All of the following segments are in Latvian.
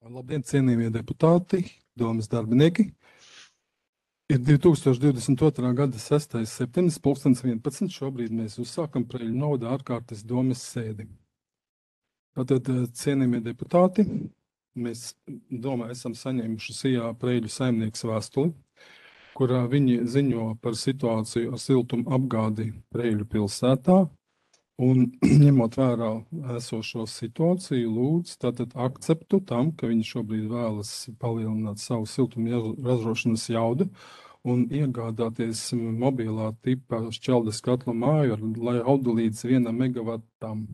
Labdien, cienījamie deputāti, domas darbinieki. Ir 2022. gada 6. septembris, 11. Šobrīd mēs uzsākam Preļu novada ārkārtas domes sēdi. Tātad, cienījamie deputāti, mēs domā esam saņēmuši sijā Preļu saimnieks vēstuli, kurā viņi ziņo par situāciju ar siltumu apgādi Preļu pilsētā. Un ņemot vērā esošo situāciju, lūdzu tātad akceptu tam, ka viņi šobrīd vēlas palielināt savu siltumu ražošanas jaudu un iegādāties mobilā tipa šķeldes katla māju ar jaudu līdz 1 megavatam.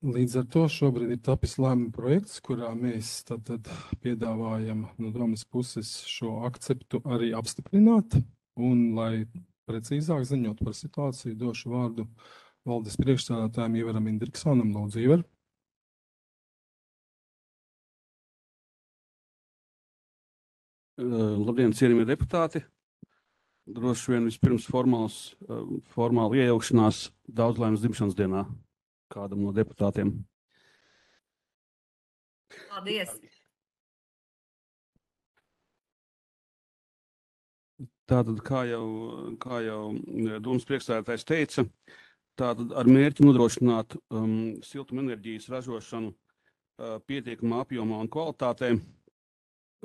Līdz ar to šobrīd ir tapis lēmuma projekts, kurā mēs tātad piedāvājam no domas puses šo akceptu arī apstiprināt. Un, lai precīzāk ziņot par situāciju, došu vārdu valdes priekšsēdētājiem Ivaram Indriksonam. Lūdzu, Ivar. Labdien, cienījamie deputāti. Droši vien vispirms formāla iejaukšanās Daudzlaimes dzimšanas dienā kādam no deputātiem. Paldies! Tātad, kā jau domas priekšsēdētājs teica, tātad ar mērķi nodrošināt siltumenerģijas ražošanu pietiekamā apjomā un kvalitātē,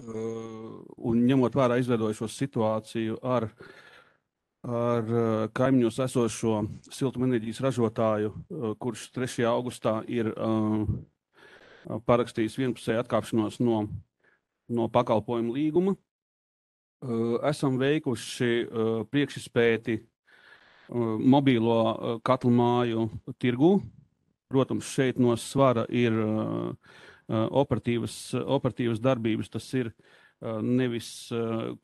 un ņemot vērā izveidojušo situāciju ar kaimiņos esošo siltumenerģijas ražotāju, kurš 3. augustā ir parakstījis vienpusēju atkāpšanos no pakalpojumu līguma. Esam veikuši priekšizpēti mobīlo katlu māju tirgū. Protams, šeit no svara ir operatīvas darbības. Tas ir nevis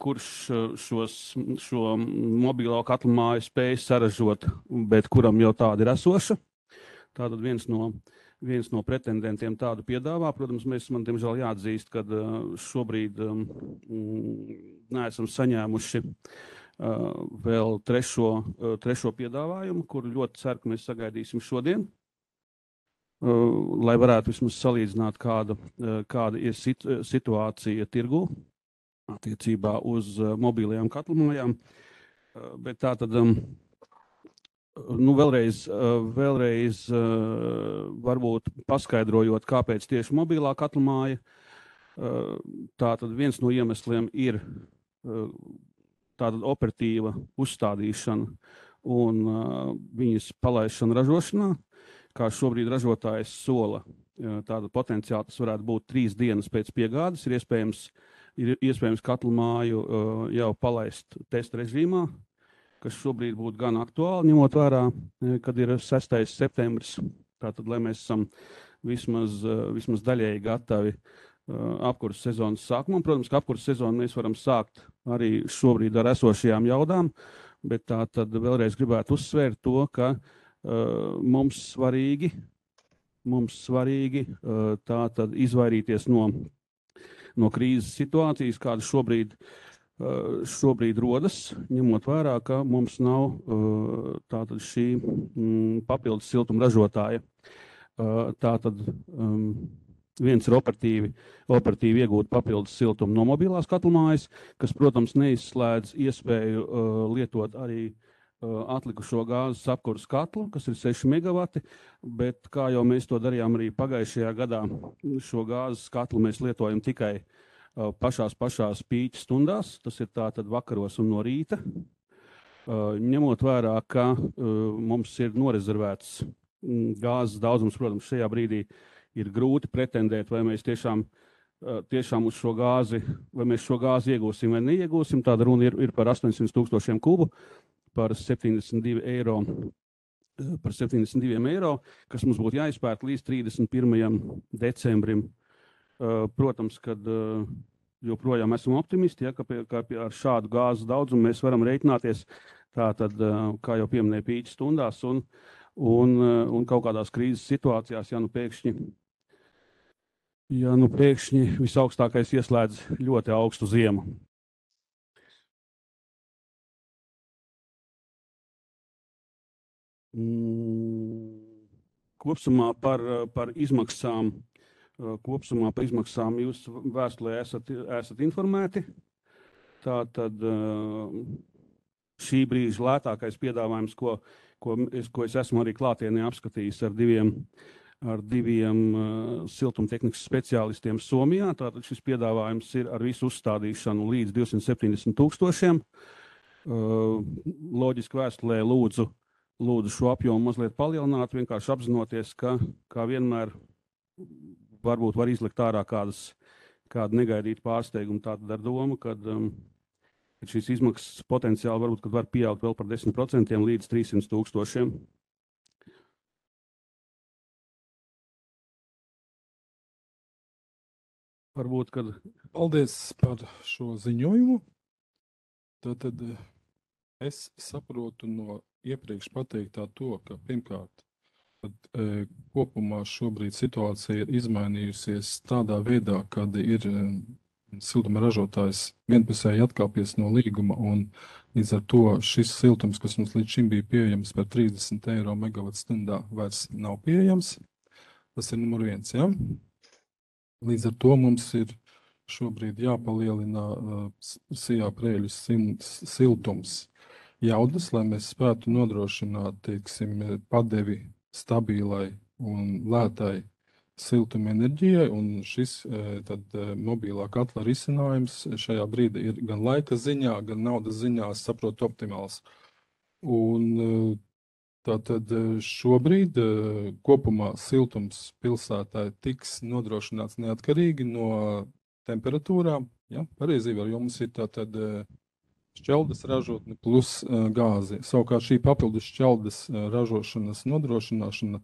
kurš šo mobīlo katlu māju spēj saražot, bet kuram jau tāda ir esoša. Tātad viens no pretendentiem tādu piedāvā. Protams, man diemžēl jāatzīst, ka šobrīd neesam saņēmuši vēl trešo piedāvājumu, kuru ļoti ceru, ka mēs sagaidīsim šodien, lai varētu vismaz salīdzināt, kāda ir situācija tirgu attiecībā uz mobilajām katlumājām. Bet tā tad, vēlreiz varbūt paskaidrojot, kāpēc tieši mobilā katlumāja. Tā tad viens no iemesliem ir tātad operatīva uzstādīšana un viņas palaišana ražošanā, kā šobrīd ražotājs sola. Tātad potenciāli tas varētu būt 3 dienas pēc piegādes. Ir iespējams katlu māju jau palaist testa režīmā, kas šobrīd būtu gan aktuāli, ņemot vērā, kad ir 6. septembris. Tātad, lai mēs esam vismaz daļēji gatavi apkurses sezonas sākumam. Protams, ka apkurses sezonu mēs varam sākt arī šobrīd ar esošajām jaudām, bet tā tad vēlreiz gribētu uzsvērt to, ka mums svarīgi tā tad izvairīties no krīzes situācijas, kāda šobrīd rodas, ņemot vērā, ka mums nav tātad šī papildus siltuma ražotāja. Tātad viens ir operatīvi iegūt papildus siltumu no mobilās katlumājas, kas, protams, neizslēdz iespēju lietot arī atlikušo gāzes apkuras katlu, kas ir 6 megavati, bet kā jau mēs to darījām arī pagājušajā gadā, šo gāzes katlu mēs lietojam tikai pašās pīķa stundās, tas ir tātad vakaros un no rīta, ņemot vērā, ka mums ir norezervēts gāzes daudzums. Protams, šajā brīdī ir grūti pretendēt, vai mēs tiešām uz šo gāzi, vai mēs šo gāzi iegūsim vai neiegūsim. Tāda runa ir par 800,000 kubu, par 72 eiro, kas mums būtu jāizpērk līdz 31. decembrim. Protams, kad joprojām esam optimisti, ja, ka ar šādu gāzes daudzumu mēs varam reiķināties, tātad, kā jau pieminēja, pīķa stundās un kaut kādās krīzes situācijās, ja nu pēkšņi visaugstākais ieslēdz ļoti augstu ziemu. Kopsumā par izmaksām kopsumā par izmaksām jūs vēstulē esat informēti. Tātad šī brīža lētākais piedāvājums, ko es esmu arī klātienē apskatījis ar diviem siltumtehnikas speciālistiem Somijā. Tātad šis piedāvājums ir ar visu uzstādīšanu līdz 270,000. Loģiski vēstulē lūdzu šo apjomu mazliet palielināt, vienkārši apzinoties, ka kā vienmēr varbūt var izlikt ārā kādu negaidītu pārsteigumu. Tātad ar domu, kad šīs izmaksas potenciāli varbūt kad var pieaugt vēl par 10% līdz 300,000. Varbūt, kad... Paldies par šo ziņojumu. Tātad es saprotu no iepriekš pateiktā to, ka pirmkārt, kopumā šobrīd situācija ir izmainījusies tādā veidā, kad ir siltuma ražotājs vienpusēji atkāpies no līguma, un līdz ar to šis siltums, kas mums līdz šim bija pieejams par 30 eiro megavatstundā, vairs nav pieejams. Tas ir numur 1, ja? Līdz ar to mums ir šobrīd jāpalielina sijā prēļu siltums jaudas, lai mēs spētu nodrošināt, teiksim, padevi stabilai un lētai siltuma enerģijai, un šis tad mobilā katla risinājums šajā brīdī ir gan laika ziņā, gan naudas ziņā, es saprotu, optimāls. Un tātad šobrīd kopumā siltums pilsētā tiks nodrošināts neatkarīgi no temperatūrām, ja? Pareizi var, jo mums ir tātad šķeldes ražotne plus gāzi. Savukārt šī papildus šķeldes ražošanas nodrošināšana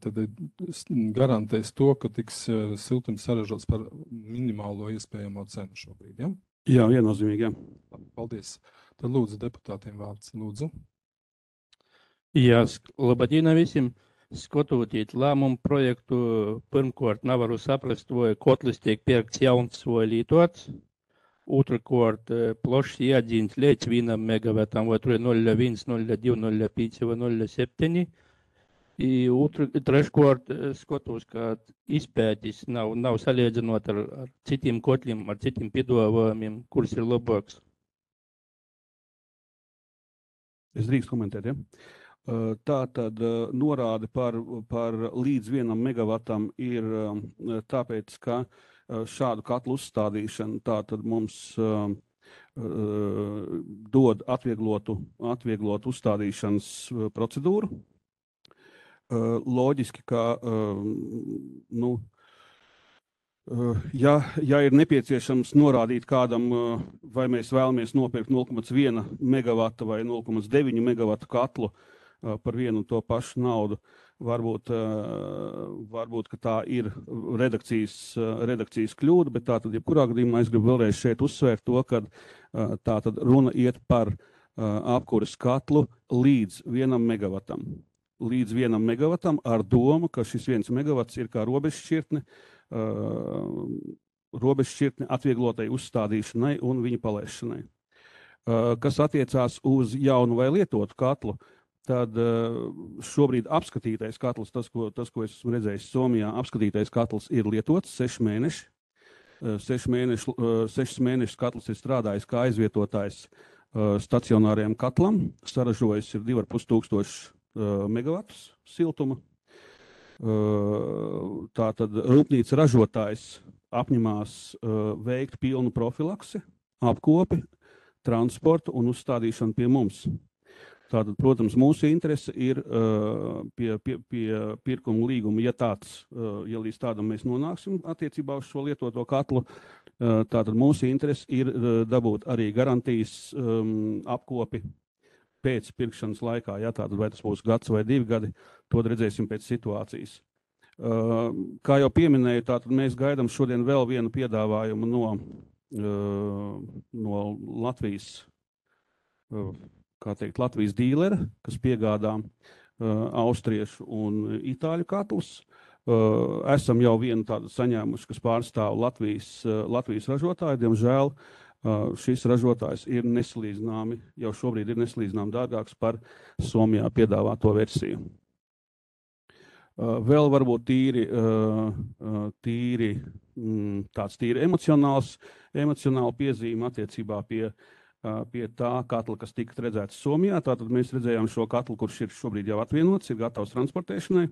tad garantēs to, ka tiks siltums saražots par minimālo iespējamo cenu šobrīd. Ja? Jā, viennozīmīgi, jā. Paldies. Tad lūdzu deputātiem vārds. Lūdzu. Jā, labdien visiem. Skatoties lēmumu projektu, pirmkārt nevaru saprast, vai kotlis tiek pirkts jauns vai lietots. Otrkārt, plašs iedzīns līdz 1 megavatam, vai tur ir 0,1, 0,2, 0,5 vai 0,7. Treškārt, skatos, ka izpētis nav salīdzinot ar citiem kotliem, ar citiem piedāvājumiem, kurš ir labāks. Es drīkst komentēt, ja? Tā tad norāde par līdz 1 megavatam ir tāpēc, ka šādu katlu uzstādīšanu tātad mums dod atvieglotu uzstādīšanas procedūru. Loģiski, ka ja ir nepieciešams norādīt kādam, vai mēs vēlamies nopirkt 0,1 megavata vai 0,9 megavatu katlu par vienu un to pašu naudu, varbūt ka tā ir redakcijas kļūda, bet tātad, jebkurā gadījumā es gribu vēlreiz šeit uzsvērt to, ka tātad runa iet par apkuras katlu līdz 1 megavatam. Līdz 1 megavatam ar domu, ka šis 1 megavats ir kā robežšķirtne atvieglotai uzstādīšanai un viņa palaišanai. Kas attiecās uz jaunu vai lietotu katlu, tad šobrīd apskatītais katls, tas, ko es esmu redzējis Somijā, apskatītais katls ir lietots 6 mēneši. 6 mēnešus katls ir strādājis kā aizvietotājs stacionāriem katlam, saražojis ir 2500 megavatus siltuma. Tātad rūpnīca ražotājs apņemās veikt pilnu profilaksi, apkopi, transportu un uzstādīšanu pie mums. Tātad, protams, mūsu interese ir pie pirkuma līguma, ja līdz tādam mēs nonāksim attiecībā uz šo lietoto katlu, tātad mūsu interese ir dabūt arī garantijas apkopi pēc pirkšanas laikā, ja tātad vai tas būs gads vai 2 gadi, to redzēsim pēc situācijas. Kā jau pieminēju, tātad mēs gaidām šodien vēl vienu piedāvājumu no Latvijas, Latvijas dīlera, kas piegādā austriešu un itāļu katlus. Esam jau vienu tādu saņēmuši, kas pārstāv Latvijas ražotāju. Diemžēl šis ražotājs ir nesalīdzināmi, jau šobrīd ir nesalīdzināmi dārgāks par Somijā piedāvāto versiju. Vēl varbūt tāds tīri emocionāli piezīme attiecībā pie tā katla, kas tika redzēts Somijā. Tātad mēs redzējām šo katlu, kurš ir šobrīd jau atvienots, ir gatavs transportēšanai,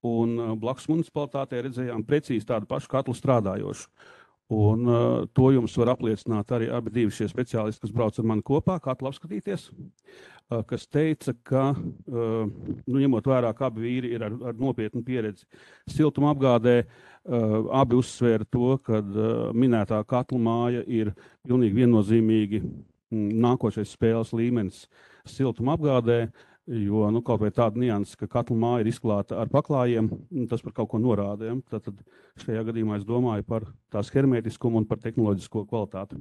un blakus municipalitātē redzējām precīzi tādu pašu katlu strādājošu. Un to jums var apliecināt arī abi divi šie speciālisti, kas brauc ar mani kopā, katlu apskatīties, kas teica, ka, ņemot vērā, ka abi vīri ir ar nopietnu pieredzi siltuma apgādē, abi uzsvēra to, ka minētā katla māja ir pilnīgi viennozīmīgi nākošais spēles līmenis siltuma apgādē, jo kaut vai tāda nianses, ka katla māja ir izklāta ar paklājiem, tas par kaut ko norāda. Ja? Tad šajā gadījumā es domāju par tās hermētiskumu un par tehnoloģisko kvalitāti.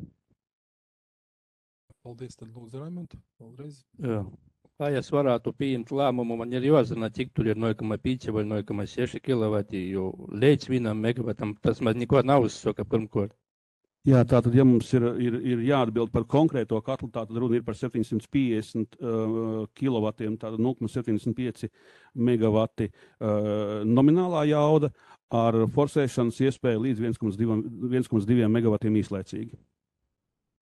Paldies, tad lūdzu, Raimonda, vēlreiz. Jā. Lai es varētu pieņemt lēmumu, man ir jāzina, cik tur ir 0,5 vai 0,6 kW, jo līdz 1 megavatam tas man neko nav uzsaka pirmkārt. Jā, tātad, ja mums ir jāatbild par konkrēto katlu, tātad runa ir par 750 kilovatiem, tātad 0,75 megavati nominālā jauda ar forsēšanas iespēju līdz 1,2 megavatiem īslaicīgi.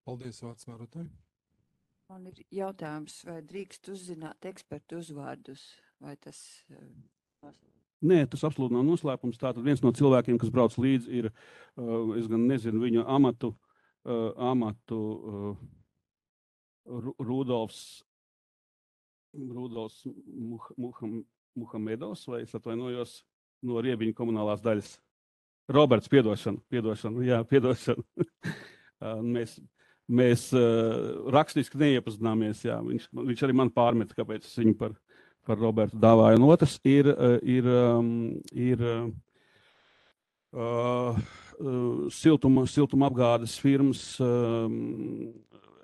Paldies, vārds vērotāji. Man ir jautājums, vai drīkst uzzināt ekspertu uzvārdus, vai tas... Nē, tas absolūti nav noslēpums. Tātad viens no cilvēkiem, kas brauc līdzi, ir, es gan nezinu viņu amatu Rudolfs Muhamedovs, vai es atvainojos no Riebiņu komunālās daļas. Roberts, piedošanu. Mēs rakstiski neiepazināmies, jā. Viņš arī man pārmeta, kāpēc es viņu par Robertu dāvāju. Un otrs ir siltuma apgādes firmas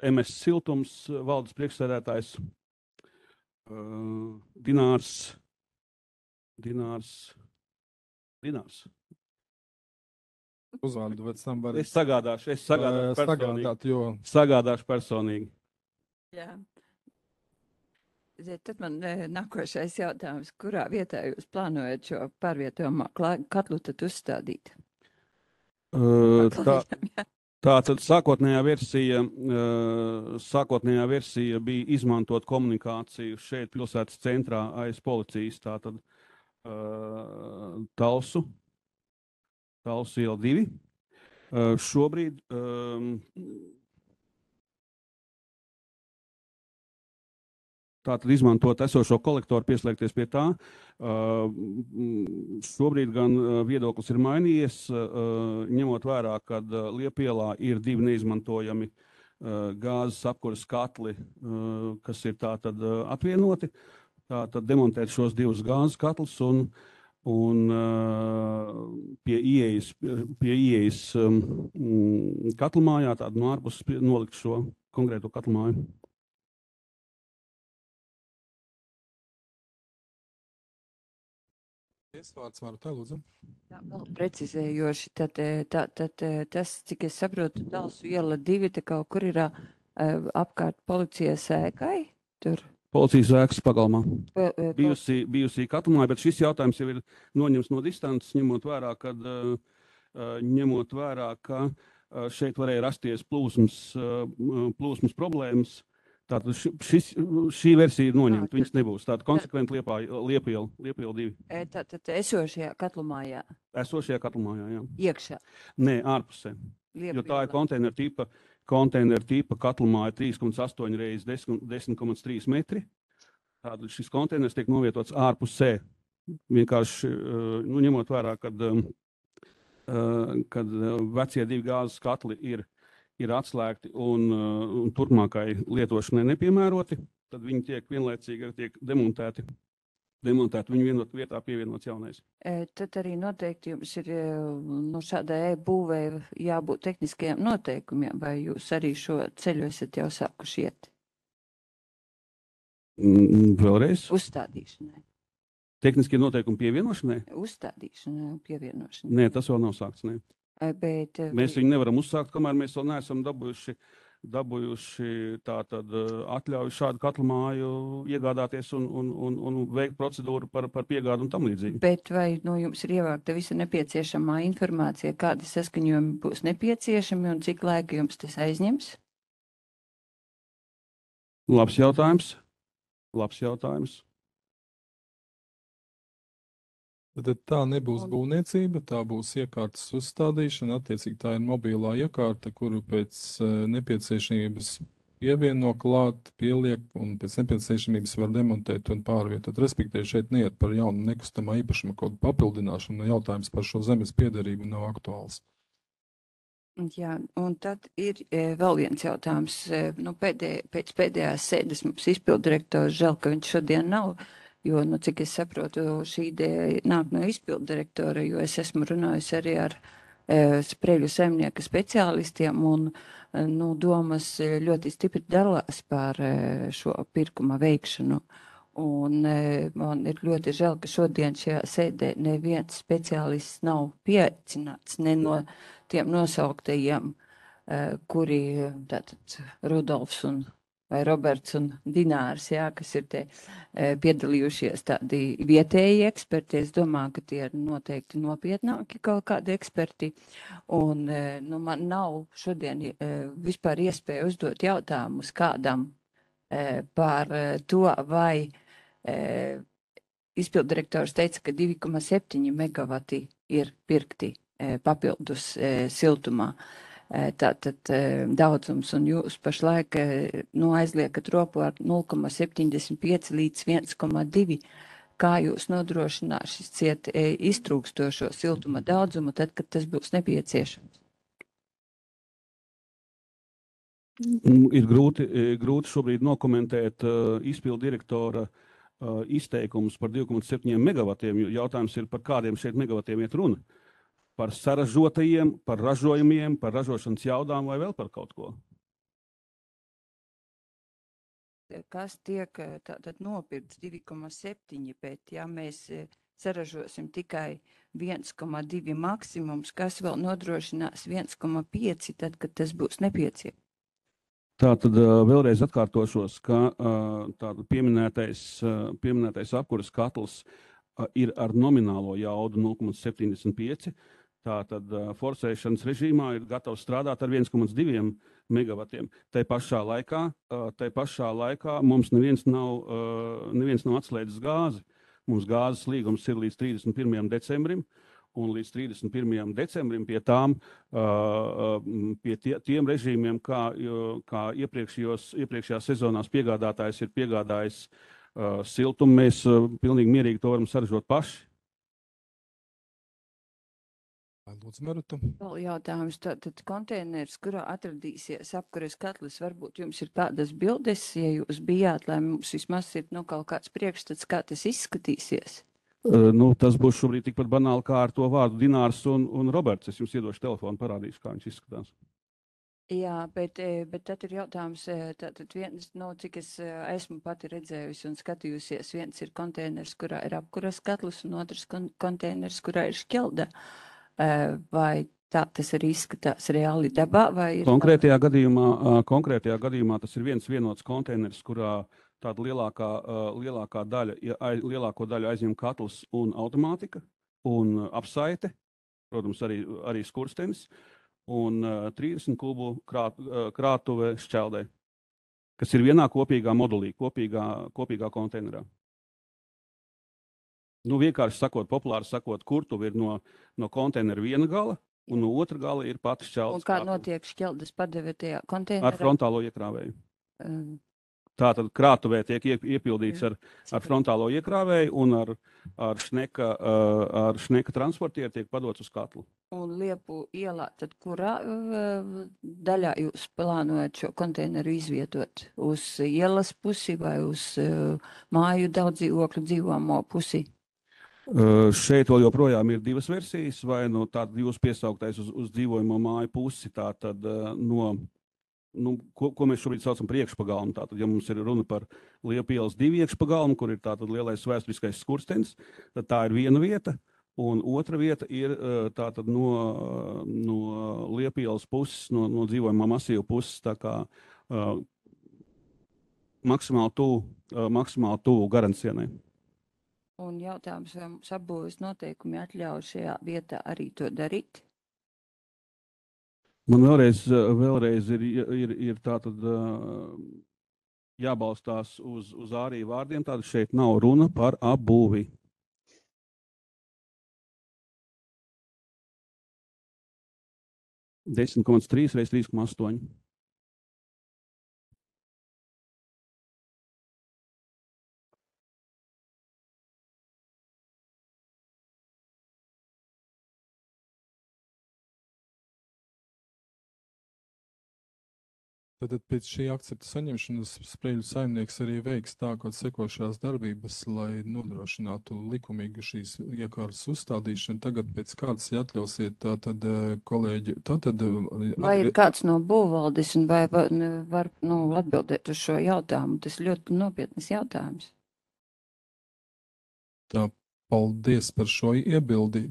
MS Siltums valdes priekšsēdētājs Dinārs. Uzvārdu pēc tam var... Es sagādāšu personīgi. Jā. Tad man nākošais jautājums, kurā vietā jūs plānojat šo pārvietojamo katlu tad uzstādīt? Tātad sākotnējā versija bija izmantot komunikāciju šeit pilsētas centrā aiz policijas, tātad Talsu iela 2. Šobrīd tātad izmantot esošo kolektoru, pieslēgties pie tā. Šobrīd gan viedoklis ir mainījies, ņemot vērā, ka Liepielā ir 2 neizmantojami gāzes apkuras katli, kas ir tātad atvienoti. Tātad demontēt šos 2 gāzes katlus un pie ieejas katlmājā, tādu no ārpuses nolikt šo konkrēto katlmāju. Vārds vērotāji, lūdzu. Jā, vēl precizējoši, tad tas, cik es saprotu, Talsu iela 2, te kaut kur ir apkārt policijas ēkai, tur? Policijas ēkas pagalmā. Bijusī katlmāja, bet šis jautājums jau ir noņemts no distances, ņemot vērā, ka šeit varēja rasties plūsmas problēmas. Tātad šī versija ir noņemta, viņas nebūs. Tātad konsekventi Liepiela 2. Tātad esošajā katlmājā? Esošajā katlmājā, jā. Iekšā? Nē, ārpusē. Jo tā ir konteineru tipa katlmāja 3,8 reiz 10,3 metri. Tātad šis konteiners tiek novietots ārpusē. Vienkārši, ņemot vērā, kad vecie 2 gāzes katli ir atslēgti un turpmākai lietošanai nepiemēroti, tad viņi tiek vienlaicīgi demontēti. Viņu vienot vietā pievienots jaunais. Tad arī noteikti jums ir no šādai būvē jābūt tehniskajiem noteikumiem, vai jūs arī šo ceļu esat jau sākuši iet? Vēlreiz? Uzstādīšanai. Tehniskie noteikumi pievienošanai? Uzstādīšanai un pievienošanai. Nē, tas vēl nav sākts, nē. Bet, mēs viņu nevaram uzsākt, kamēr mēs vēl neesam dabūjuši dabūjuši tātad atļauju šādu katlu māju iegādāties un veikt procedūru par piegādu un tam līdzīgi. Bet vai no jums ir ievākta visa nepieciešamā informācija, kādi saskaņojumi būs nepieciešami un cik laika jums tas aizņems? Labs jautājums. Tad tā nebūs Un- būvniecība, tā būs iekārtas uzstādīšana. Attiecīgi tā ir mobilā iekārta, kuru pēc nepieciešamības pievieno klāt, pieliek un pēc nepieciešamības var demontēt un pārvietot. Respektīvi šeit neiet par jaunu nekustamā īpašuma kodu papildināšanu, jautājums par šo zemes piederību nav aktuāls. Jā, un tad ir vēl viens jautājums. Nu, pēc pēdējās sēdes mums izpilddirektors, žēl, ka viņš šodien nav, jo, nu, cik es saprotu, šī ideja nāk no izpilddirektora, jo es esmu runājusi arī ar Spreļu saimnieka speciālistiem un, nu, domas ļoti stipri dalās par šo pirkuma veikšanu. Un man ir ļoti žēl, ka šodien šajā sēdē neviens speciālists nav pieaicināts ne no tiem nosauktajiem, kuri tātad Rudolfs vai Roberts un Dinārs, jā, kas ir te piedalījušies tādi vietēji eksperti. Es domāju, ka tie ir noteikti nopietnāki kaut kādi eksperti. Un nu, man nav šodien vispār iespēja uzdot jautājumus kādam par to, vai izpilddirektors teica, ka 2,7 megavati ir pirkti papildus siltumā. Tātad daudzums, un jūs pašlaik aizliekat roku ar 0,75 līdz 1,2. Kā jūs nodrošināsiet iztrūkstošo siltuma daudzumu tad, kad tas būs nepieciešams? Ir grūti šobrīd nokomentēt izpilddirektora izteikumus par 2,7 megavatiem, jo jautājums ir, par kādiem šeit megavatiem iet runa. Par saražotajiem, par ražojumiem, par ražošanas jaudām vai vēl par kaut ko? Kas tiek tātad nopirkts 2,7, bet ja mēs saražosim tikai 1,2 maksimums, kas vēl nodrošinās 1,5, tad, kad tas būs nepieciešams? Tātad vēlreiz atkārtošos, ka tātad pieminētais apkuras katls ir ar nominālo jaudu 0,75. Tātad forsēšanas režīmā ir gatavs strādāt ar 1,2 megavatiem. Tai pašā laikā mums neviens nav atslēdzis gāzi. Mums gāzes līgums ir līdz 31. decembrim, un līdz 31. decembrim pie tiem režīmiem, kā iepriekšējās sezonās piegādātājs ir piegādājis siltumu, mēs pilnīgi mierīgi to varam saražot paši. Lūdzu, Maruta. Vēl jautājums, tātad konteiners, kurā atradīsies apkuras katlis, varbūt jums ir kādas bildes, ja jūs bijāt, lai mums vismaz ir kaut kāds priekšstats, kā tas izskatīsies? Tas būs šobrīd tikpat banāli kā ar to vārdu Dinārs un Roberts. Es jums iedošu telefonu, parādīšu, kā viņš izskatās. Jā, bet tad ir jautājums, tātad viens, cik es esmu pati redzējusi un skatījusies, viens ir konteiners, kurā ir apkuras katlis, un otrs konteiners, kurā ir šķelda. Vai tā tas arī izskatās reāli dabā? Konkrētajā gadījumā tas ir viens vienots konteiners, kurā tāda lielāko daļu aizņem katls un automātika un apsaite, protams, arī skurstenis, un 30 kubu krātuve šķeldē, kas ir vienā kopīgā modulī, kopīgā konteinerā. Vienkārši sakot, populāri sakot, kurtuve ir no konteinera viena gala, un no otra gala ir pati šķeldes. Un kā notiek šķeldes padeve tajā konteinerā? Ar frontālo iekrāvēju. Tātad krātuvē tiek iepildīts ar frontālo iekrāvēju, un ar šneka transportieru tiek padots uz katlu. Un Liepu ielā, tad kurā daļā jūs plānojat šo konteineru izvietot? Uz ielas pusi vai uz māju daudzdzīvokļu dzīvojamo pusi? Šeit vēl joprojām ir divas versijas, vai tātad jūs piesauktais uz dzīvojamo māju pusi, tātad ko mēs šobrīd saucam par iekšpagalmu. Tātad, ja mums ir runa par Liepu ielas 2 iekšpagalmu, kur ir tātad lielais vēsturiskais skurstenis, tad tā ir viena vieta, Un otra vieta ir tātad no Liepielas puses, no dzīvojamā masīva puses, tā kā maksimāli tuvu Garantsienai. Un jautājums, vai mums apbūves noteikumi atļauj šajā vietā arī to darīt? Man vēlreiz ir tātad jābalstās uz ārī vārdiem, tātad šeit nav runa par apbūvi. – 10,3 reiz 3,8. Tad pēc šī akcepta saņemšanas Sprēļu saimnieks arī veiks tā, kā sekošās darbības, lai nodrošinātu likumīgu šīs iekārtas uzstādīšanu. Tagad pēc kārtas atļausiet tātad kolēģi, tātad... Vai ir kāds no būvvaldes un vai var atbildēt uz šo jautājumu? Tas ļoti nopietnas jautājums. Tā, paldies par šo iebildi.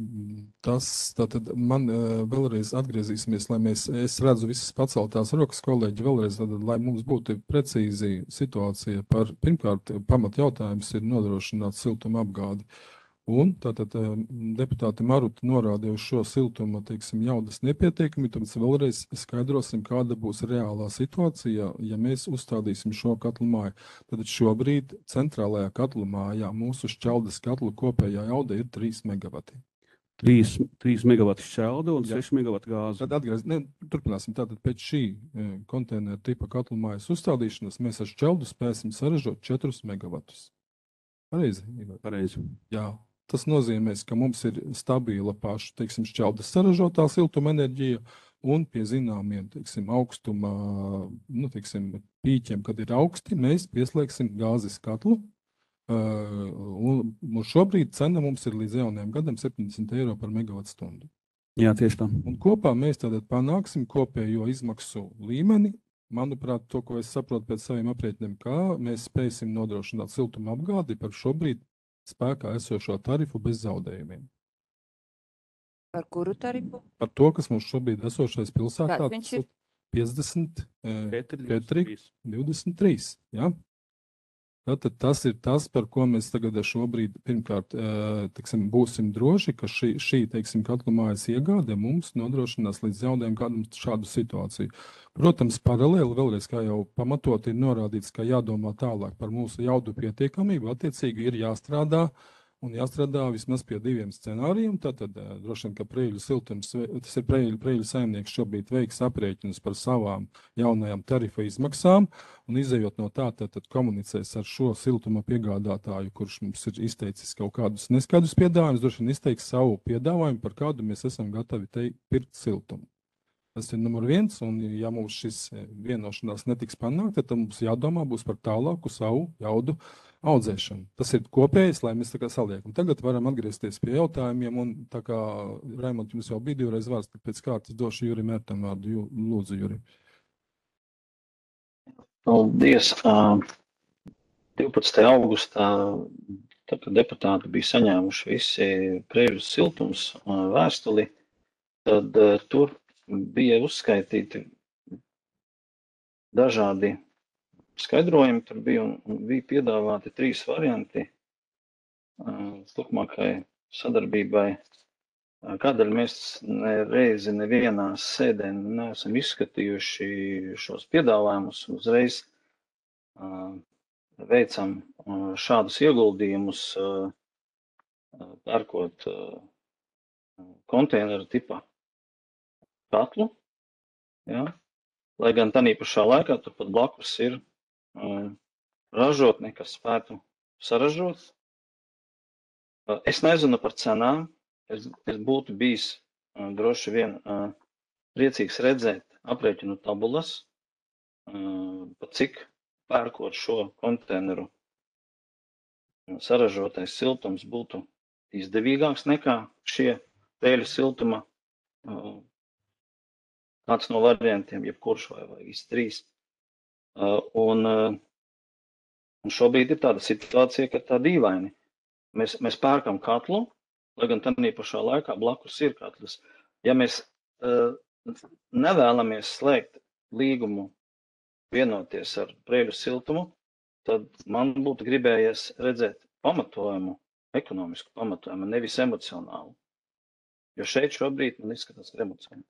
Tas, tātad man vēlreiz atgriezīsimies, lai es redzu visas paceltās rokas, kolēģi, vēlreiz, tātad, lai mums būtu precīzi situācija par, pirmkārt, pamat jautājums ir nodrošināt siltuma apgādi. Un tātad deputāti Maruta norādīja uz šo siltuma, teiksim, jaudas nepietiekami, tāpēc vēlreiz skaidrosim, kāda būs reālā situācija, ja mēs uzstādīsim šo katlu māju. Tad šobrīd centrālajā katlu mājā mūsu šķeldes katlu kopējā jauda ir 3 megavati. 3 megavati šķelda un 6 megavati gāze. Tad turpināsim. Tātad pēc šī konteineru tipa katlu mājas uzstādīšanas mēs ar šķeldu spēsim saražot 4 megavatus. Pareizi? Pareizi. Jā. Tas nozīmēs, ka mums ir stabila paša, teiksim, šķeldas saražotā siltuma enerģija un pie zināmiem, teiksim, augstuma, teiksim, pīķiem, kad ir augsti, mēs pieslēgsim gāzes katlu. Un šobrīd cena mums ir līdz jaunajam gadam 70 eiro par megavatstundu. Jā, tieši tā. Un kopā mēs tātad panāksim kopējo izmaksu līmeni. Manuprāt, to, ko es saprotu pēc saviem aprēķiniem, kā mēs spēsim nodrošināt siltuma apgādi par šobrīd spēkā esošo tarifu bez zaudējumiem. Par kuru tarifu? Par to, kas mums šobrīd esošais pilsētā, Viņš ir 54, 23. Ja? Tātad tas ir tas, par ko mēs tagad šobrīd, pirmkārt, teiksim, būsim droši, ka šī teiksim, katlu mājas iegāde mums nodrošinās līdz jaunajam gadam šādu situāciju. Protams, paralēli vēlreiz, kā jau pamatot ir norādīts, ka jādomā tālāk par mūsu jaudu pietiekamību, attiecīgi ir jāstrādā vismaz pie 2 scenārijiem. Tātad droši vien, ka Preļu siltums, tas ir Preļu saimnieks šobrīd veiks aprēķinus par savām jaunajām tarifa izmaksām un izējot no tā, tad komunicēs ar šo siltuma piegādātāju, kurš mums ir izteicis kaut kādus neskaidrus piedāvājumus, droši vien izteiks savu piedāvājumu, par kādu mēs esam gatavi pirkt siltumu. Tas ir numur 1, un ja mums šis vienošanās netiks panākt, tad mums jādomā būs par tālāku savu jaudu audzēšanu. Tas ir kopējais, lai mēs tā kā saliekam. Tagad varam atgriezties pie jautājumiem, un tā kā, Raimond, jums jau bija 2 reizes vārds, tad pēc kārtas došu Jurim Mērtam vārdu. Lūdzu, Juri. Paldies. 12. augustā, tad, kad deputāti bija saņēmuši visi Preļu siltums vēstuli, tad tur bija uzskaitīti dažādi skaidrojumi, tur bija piedāvāti 3 varianti turpmākai sadarbībai. Kādēļ mēs nevienā sēdē neesam izskatījuši šos piedāvājumus, uzreiz veicam šādus ieguldījumus, pērkot konteineru tipa katlu, ja? Lai gan tādā pašā laikā turpat blakus ir ražotne, kas spētu saražot. Es nezinu par cenām, es būtu bijis droši vien priecīgs redzēt aprēķinu tabulas, pa cik pērkot šo konteineru saražotais siltums būtu izdevīgāks nekā šie Preļu siltuma kāds no variantiem, jebkurš vai visi 3. Un šobrīd ir tāda situācija, ka tā dīvaini. Mēs pērkam katlu, lai gan tādā pašā laikā blakus ir katls. Ja mēs nevēlamies slēgt līgumu, vienoties ar Preiļu siltumu, tad man būtu gribējies redzēt pamatojumu, ekonomisku pamatojumu, nevis emocionālu. Jo šeit šobrīd man izskatās emocionāli.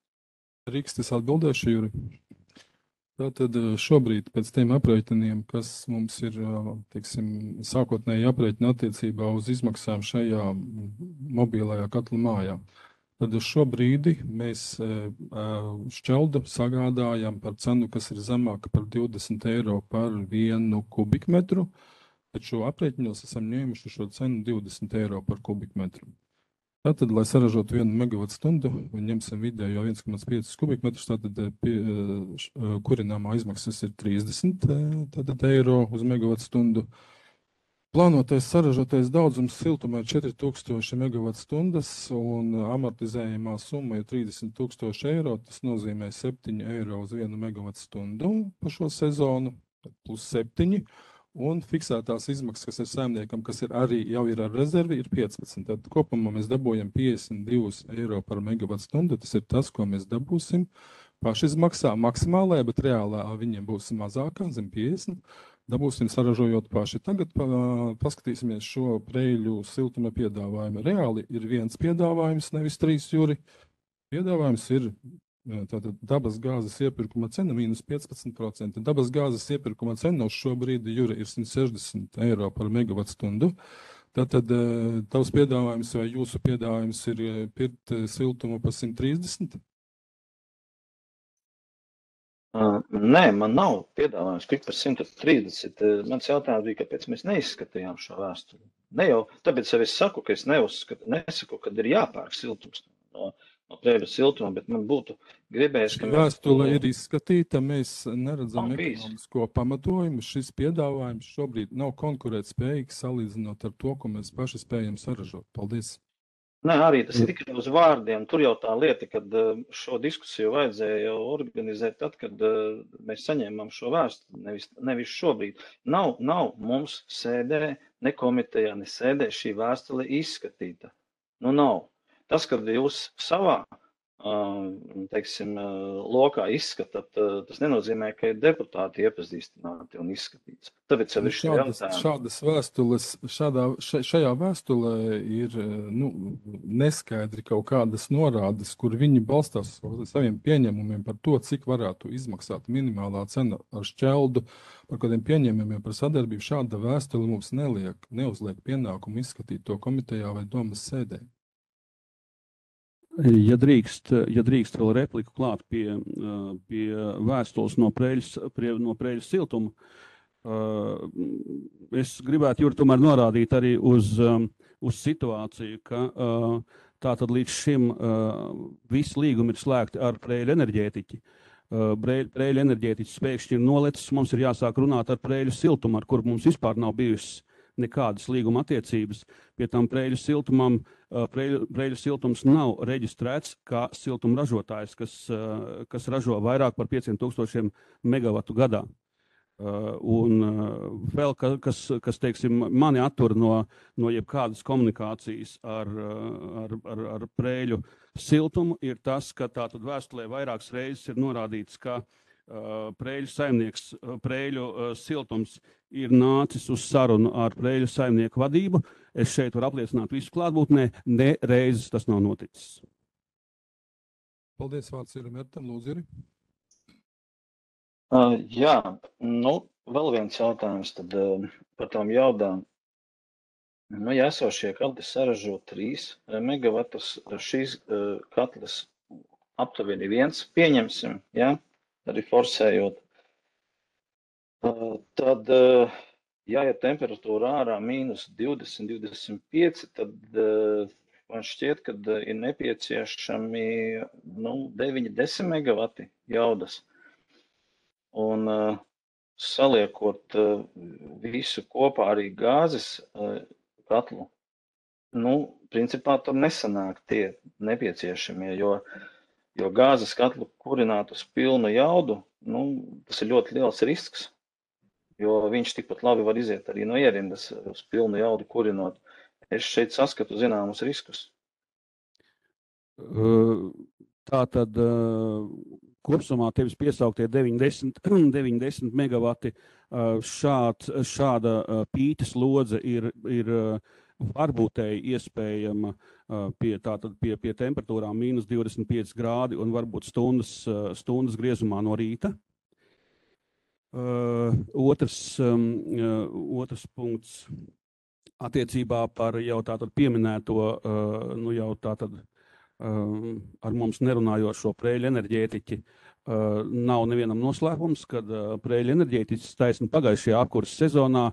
Rīks, es atbildēšu, Juri. Tātad šobrīd pēc tiem aprēķiniem, kas mums ir, teiksim, sākotnēji aprēķina attiecībā uz izmaksām šajā mobilajā katla mājā, tad uz šo brīdi mēs šķeldu sagādājam par cenu, kas ir zemāka par 20 eiro par 1 kubikmetru, bet šo aprēķinos esam ņēmuši šo cenu 20 eiro par kubikmetru. Tātad, lai saražotu 1 megavatstundu, ņemsim vidējo 1,5 kubikmetrus, tātad kurināmā izmaksas ir 30 eiro uz megavatstundu. Plānotais saražotais daudzums siltumā ir 4000 megavatstundas un amortizējumā summa ir 30,000 eiro. Tas nozīmē 7 eiro uz 1 megavatstundu par šo sezonu, plus 7. Un fiksētās izmaksas, kas ir saimniekam, kas ir arī jau ir ar rezervi, ir 15. Tad kopumā mēs dabūjam 52 eiro par megavatstundu. Tas ir tas, ko mēs dabūsim pašizmaksā maksimālajā, bet reālā viņiem būs mazākā, zem 50. Dabūsim saražojot paši. Tagad paskatīsimies šo Preiļu siltuma piedāvājumu. Reāli ir viens piedāvājums, nevis 3, Juri. Piedāvājums ir tātad dabas gāzes iepirkuma cena mīnus 15%. Dabas gāzes iepirkuma cena uz šo brīdi, Juri, ir 160 eiro par megavatstundu. Tātad tavs piedāvājums vai jūsu piedāvājums ir pirkt siltumu par 130? Nē, man nav piedāvājums pirkt par 130. Mans jautājums bija, kāpēc mēs neizskatījām šo vēstuli. Ne jau, tāpēc es saku, ka es nesaku, kad ir jāpērk siltums no Preiļu siltuma, bet man būtu gribējis, ka vēstule ir izskatīta, mēs neredzam ekonomisko pamatojumu. Šis piedāvājums šobrīd nav konkurētspējīgs salīdzinot ar to, ko mēs paši spējam saražot. Paldies! Nē, arī tas ir tikai uz vārdiem. Tur jau tā lieta, kad šo diskusiju vajadzēja jau organizēt tad, kad mēs saņēmām šo vēstuli, nevis šobrīd. Nav mums sēdē, ne komitejā, ne sēdē šī vēstule izskatīta. Nu nav. Tas, kad jūs savā, teiksim, lokā izskatāt, tas nenozīmē, ka ir deputāti iepazīstināti un izskatīts. Tāpēc jau ir šie jautājumi. Šajā vēstulē ir neskaidri kaut kādas norādes, kur viņi balstās uz saviem pieņēmumiem par to, cik varētu izmaksāt minimālā cena ar šķeldu, par kādiem pieņēmumiem par sadarbību. Šāda vēstule mums neuzliek pienākumu izskatīt to komitejā vai domas sēdē. Ja drīkst vēl repliku klāt pie vēstules no Preiļu siltuma, es gribētu, Juri, tomēr norādīt arī uz situāciju, ka tātad līdz šim visi līgumi ir slēgti ar Preiļu enerģētiķi. Preiļu enerģētiķis pēkšņi ir nolicis, mums ir jāsāk runāt ar Preiļu siltumu, ar kur mums vispār nav bijušas nekādas līguma attiecības. Pie tam Preiļu siltums nav reģistrēts kā siltuma ražotājs, kas ražo vairāk par 5000 megavatu gadā. Un vēl, kas teiksim, mani attur no jebkādas komunikācijas ar Preiļu siltumu, ir tas, ka tātad vēstulē vairākas reizes ir norādīts, ka Preiļu saimnieks, Preiļu siltums ir nācis uz sarunu ar Preiļu saimnieku vadību. Es šeit varu apliecināt visu klātbūtnē, ne reizes tas nav noticis. Paldies, vārds ir Mertam, lūdzu, Juri. Jā, vēl viens jautājums tad par tām jaudām. Ja esošie katli saražo 3 megavatus, šīs katlis aptuveni 1, pieņemsim, jā, arī forsējot. Tad, ja temperatūra ārā mīnus 20, 25, tad man šķiet, ka ir nepieciešami 9-10 megavati jaudas. Un saliekot visu kopā arī gāzes katlu, principā tur nesanāk tie nepieciešamie, jo gāzes katlu kurināt uz pilnu jaudu, tas ir ļoti liels risks, jo viņš tikpat labi var iziet arī no ierindas uz pilnu jaudu kurinot. Es šeit saskatu zināmus riskus. Tātad kopsumā tevis piesauktie 90 megavati šāda pītas lodze ir varbūtēji iespējama pie temperatūrām mīnus 25 grādi un varbūt stundas griezumā no rīta. Otrs punkts attiecībā par jau tātad pieminēto, nu jau tātad ar mums nerunājošo Preiļu enerģētiķi. Nav nevienam noslēpums, kad Preiļu enerģētiķis taisni pagājušajā apkuras sezonā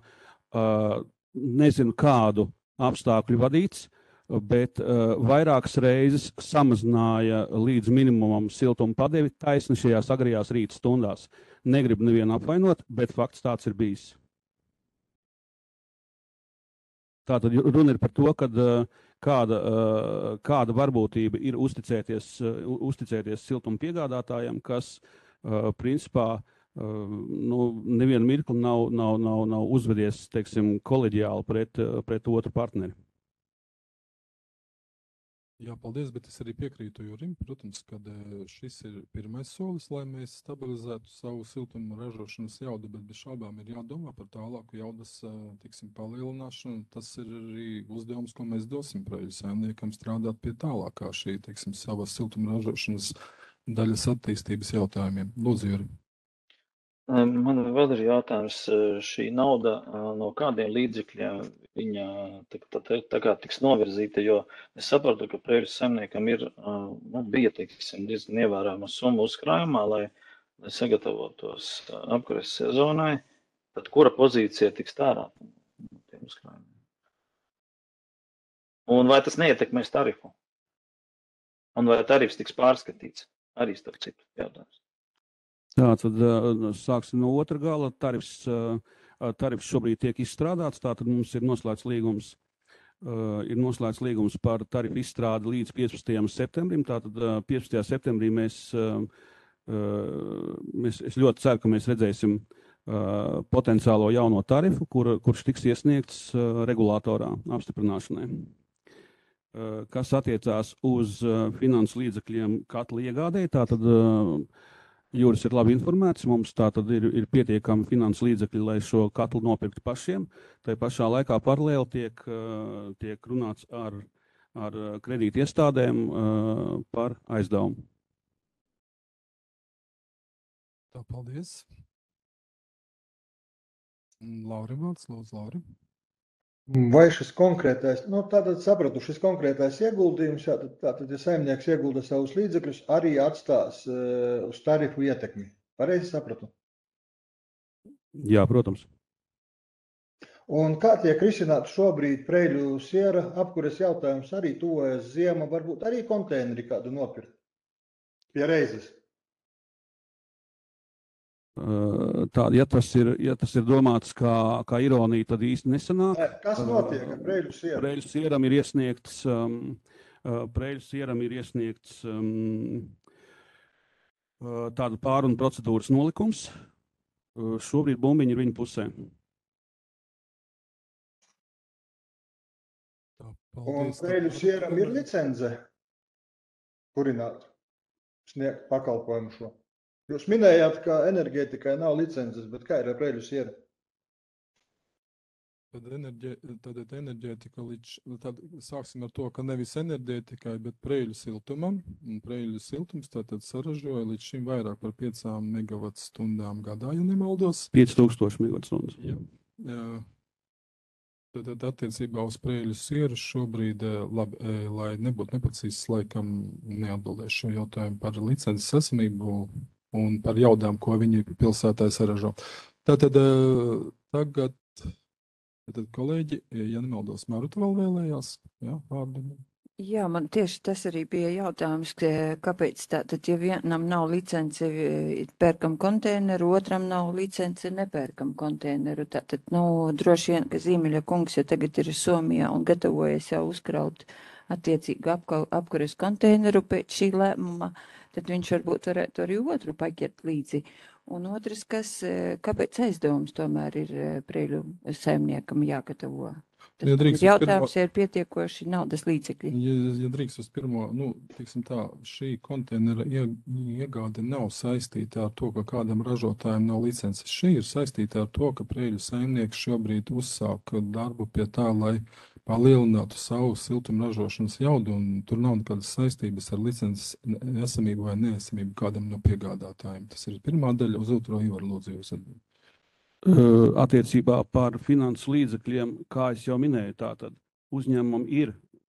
nezinu kādu apstākļu vadīts, bet vairākas reizes samazināja līdz minimumam siltuma padevi taisni šajās agrajās rīta stundās. Negribu nevienu apvainot, bet fakts tāds ir bijis. Tātad runa ir par to, kad kāda varbūtība ir uzticēties siltuma piegādātājiem, kas principā nevienu mirkli nav uzvedies, teiksim, koleģiāli pret otru partneri. Jā, paldies, bet es arī piekrītu Jurim. Protams, kad šis ir pirmais solis, lai mēs stabilizētu savu siltumu ražošanas jaudu, bet bez šaubām ir jādomā par tālāku jaudas, tiksim, palielināšanu. Tas ir arī uzdevums, ko mēs dosim Preiļu saimniekam strādāt pie tālākā šī, tiksim, savas siltuma ražošanas daļas attīstības jautājumiem. Lūdzu, Jurim. Man vēl ir jautājums, šī nauda no kādiem līdzekļiem viņa tā kā tiks novirzīta, jo es saprotu, ka Preiļu saimniekam bija, teiksim, diezgan ievērojama summa uzkrājumā, lai sagatavotos apkures sezonai, tad kura pozīcija tiks tērēta no tiem uzkrājumiem? Un vai tas neietekmēs tarifu? Un vai tarifs tiks pārskatīts? Arī starp citu jautājums. Tātad sāksim no otra gala. Tarifs šobrīd tiek izstrādāts, tātad mums ir noslēgts līgums par tarifu izstrādi līdz 15. septembrim. Tātad 15. septembrī es ļoti ceru, ka mēs redzēsim potenciālo jauno tarifu, kurš tiks iesniegts regulātorā apstiprināšanai. Kas attiecās uz finansu līdzekļiem katla iegādēji, tātad Juris ir labi informēts, mums tātad ir pietiekami finansu līdzekļi, lai šo katlu nopirktu pašiem. Tai pašā laikā paralēli tiek runāts ar kredīti iestādēm par aizdevumu. Tā, paldies. Lauri vārds, lūdzu, Lauri. Vai šis konkrētais, tātad sapratu, šis konkrētais ieguldījums, tātad, ja saimnieks iegulda savus līdzekļus, arī atstās uz tarifu ietekmi. Pareizi sapratu? Jā, protams. Un kā tiek risināts šobrīd Preiļu siera apkures jautājums, arī tuvojas ziema, varbūt arī konteineri kādu nopirkt pie reizes? Ja tas ir domāts kā ironija, tad īsti nesanāk. Kas notiek ar Preiļu sieru? Preiļu sieram ir iesniegts tāda pārunu procedūras nolikums. Šobrīd bumbiņi ir viņa pusē. Tā, paldies. Un Preiļu sieram ir licence kurināt, sniegt pakalpojumu šo. Jūs minējāt, ka enerģētikai nav licences, bet kā ir ar Preiļu sieru? Tad enerģētika tad sāksim ar to, ka nevis enerģētikai, bet Preiļu siltumam. Un Preiļu siltums tātad saražoja līdz šim vairāk par 5 megavatstundām gadā, ja nemaldos. 5000 megavattstundas. Jā. Tad attiecībā uz Preiļu sieru šobrīd, lai nebūtu neprecīzs, laikam neatbildēšu šo jautājumu par licences esamību un par jaudām, ko viņi pilsētā saražo. Tātad tagad kolēģi, ja nemaldos, Maruta vēl vēlējās, jā, vārdu. Jā, man tieši tas arī bija jautājums, kāpēc tātad, ja vienam nav licence, pērkam konteineru, otram nav licence, nepērkam konteineru. Tātad, droši vien, ka Zīmeļa kungs, ja tagad ir Somijā un gatavojas jau uzkraut attiecīgu apkures konteineru pēc šī lēmuma, tad viņš varbūt varētu arī otru paķert līdzi. Un otrs, kāpēc aizdevums tomēr ir Preiļu saimniekam jāgatavo? Tas Ja man drīkst ir uz jautājums, ja ir pietiekoši naudas līdzekļi. Ja drīkst uz pirmo, teiksim tā, šī konteinera iegāde nav saistīta ar to, ka kādam ražotājam nav licences. Šī ir saistīta ar to, ka Preiļu saimnieks šobrīd uzsāk darbu pie tā, lai palielinātu savu siltuma ražošanas jaudu, un tur nav nekādas saistības ar licences esamību vai neesamību kādam no piegādātājiem. Tas ir pirmā daļa, uz otro Ivar lūdzu jūs atbild. Attiecībā par finansu līdzekļiem, kā es jau minēju, tātad uzņēmumam ir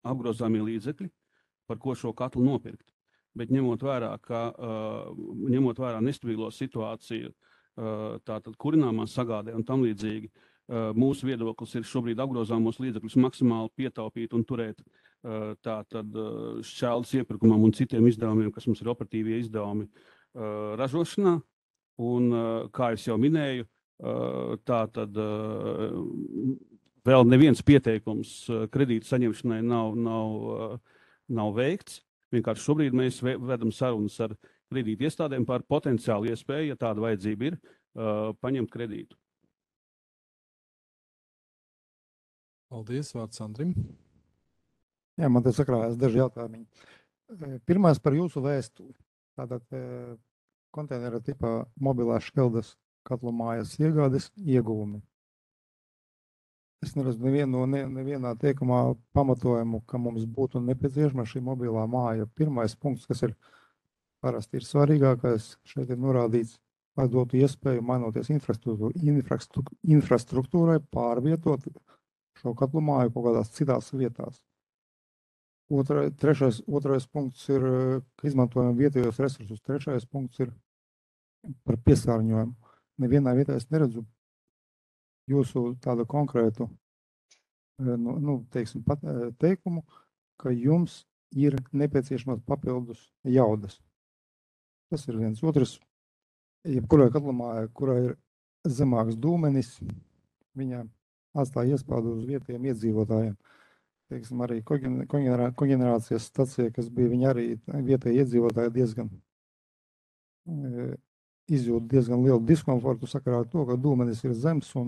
apgrozāmie līdzekļi, par ko šo katlu nopirkt. Bet ņemot vērā nestabilo situāciju, tātad kurināmās sagādē un tam līdzīgi, mūsu viedoklis ir šobrīd apgrozāmos līdzekļus maksimāli pietaupīt un turēt tātad šķeldes iepirkumam un citiem izdevumiem, kas mums ir operatīvie izdevumi ražošanā. Un, kā es jau minēju, tātad vēl neviens pieteikums kredītu saņemšanai nav veikts. Vienkārši šobrīd mēs vedam sarunas ar kredītu iestādēm par potenciālu iespēju, ja tāda vajadzība ir, paņemt kredītu. Paldies, vārds Andrim. Jā, man te sakrājās daži jautājumi. Pirmais par jūsu vēstuli. Tātad konteinera tipā mobilās šķeldes katlu mājas iegādes ieguvumi. Es neredzu nevienā teikumā pamatojumu, ka mums būtu nepieciešama šī mobilā māja. Pirmais punkts, kas ir parasti ir svarīgākais, šeit ir norādīts, lai dotu iespēju mainoties infrastruktūrai pārvietot šo katlu māju kaut kādās citās vietās. Otrais punkts ir, ka izmantojam vietējos resursus. Trešais punkts ir par piesārņojumu. Nevienā vietā es neredzu jūsu tādu konkrētu teikumu, ka jums ir nepieciešamas papildus jaudas. Tas ir viens. Otrs, jebkurai katlamājai, kurā ir zemāks dūmenis, viņa atstāja iespaidu uz vietējiem iedzīvotājiem. Teiksim, arī koģenerācijas stacija, kas bija, viņa arī vietēji iedzīvotāji izjūt diezgan lielu diskomfortu sakarā ar to, ka dūmenis ir zems un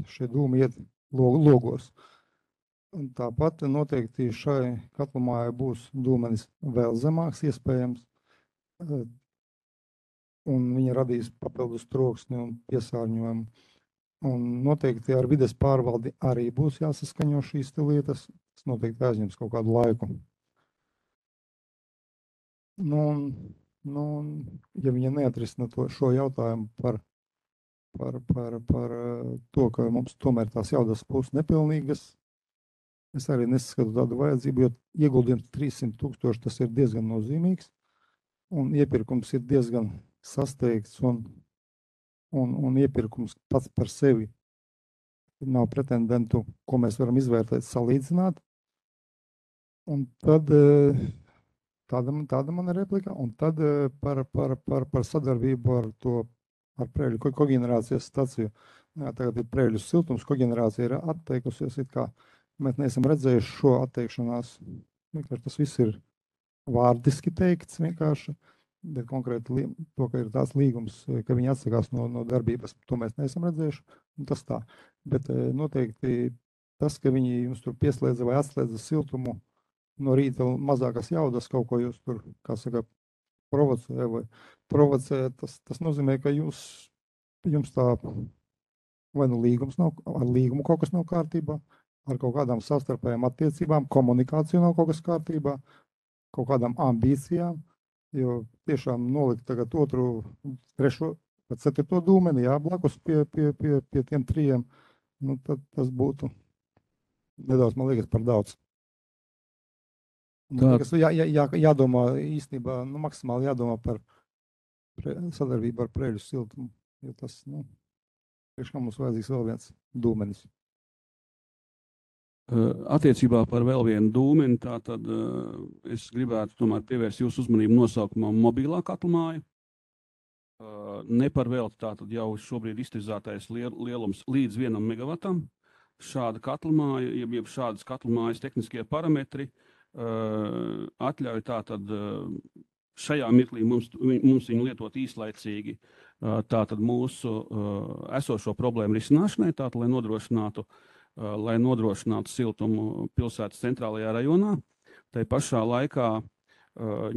šie dūmi iet logos. Un tāpat noteikti šai katlamājai būs dūmenis vēl zemāks iespējams, un viņa radīs papildus troksni un piesārņojumu. Un noteikti ar vides pārvaldi arī būs jāsaskaņo šīs lietas. Tas noteikti aizņems kaut kādu laiku. Ja viņa neatrisina šo jautājumu par to, ka mums tomēr tās jaudas būs nepilnīgas, es arī neskatu tādu vajadzību, jo ieguldījums 300 000 tas ir diezgan nozīmīgs, un iepirkums ir diezgan sasteigts, un iepirkums pats par sevi nav pretendentu, ko mēs varam izvērtēt, salīdzināt. Un tad tāda man ir replika, un tad par sadarbību ar Preiļu koģenerācijas staciju. Jā, tagad ir Preiļu siltums, koģenerācija ir atteikusies, it kā mēs neesam redzējuši šo atteikšanās. Vienkārši tas viss ir vārdiski teikts vienkārši, bet konkrēti to, ka ir tāds līgums, ka viņi atsakās no darbības, to mēs neesam redzējuši, un tas tā. Bet noteikti tas, ka viņi jums tur pieslēdza vai atslēdza siltumu no rīta mazākas jaudas, kaut ko jūs tur, kā saka, provocē, tas nozīmē, ka jums tā vai nu līgums nav, ar līgumu kaut kas nav kārtībā, ar kaut kādām savstarpējām attiecībām, komunikāciju nav kaut kas kārtībā, kaut kādām ambīcijām, jo tiešām nolikt tagad otru, trešo, pat 4. dūmeni, jā, blakus pie tiem 3, tad tas būtu nedaudz, man liekas, par daudz. Jādomā īstenībā, maksimāli jādomā par sadarbību ar Preiļu siltumu, jo tas, priekš kā mums vajadzīgs vēl viens dūmenis. Attiecībā par vēl vienu dūmeni, tātad es gribētu tomēr pievērst jūsu uzmanību nosaukumam mobilā katlamāja. Ne par velti tātad jau šobrīd iztirzātais lielums līdz 1 megawatam. Šāda katlamāja, jeb šādas katlamājas tehniskie parametri atļauj tātad šajā mirklī mums viņu lietot īslaicīgi tātad mūsu esošo problēmu risināšanai, tātad, lai nodrošinātu lai nodrošinātu siltumu pilsētas centrālajā rajonā. Tai pašā laikā,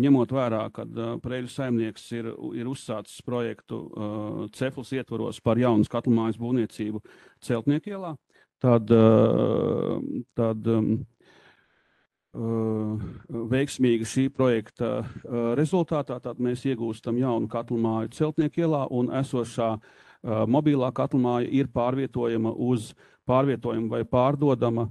ņemot vērā, kad Preiļu saimnieks ir uzsācis projektu Cefls ietvaros par jaunas katlamājas būvniecību Celtnieku ielā, tad veiksmīga šī projekta rezultātā tad mēs iegūstam jaunu katlamāju Celtnieku ielā, un esošā mobilā katlamāja ir pārvietojama vai pārdodama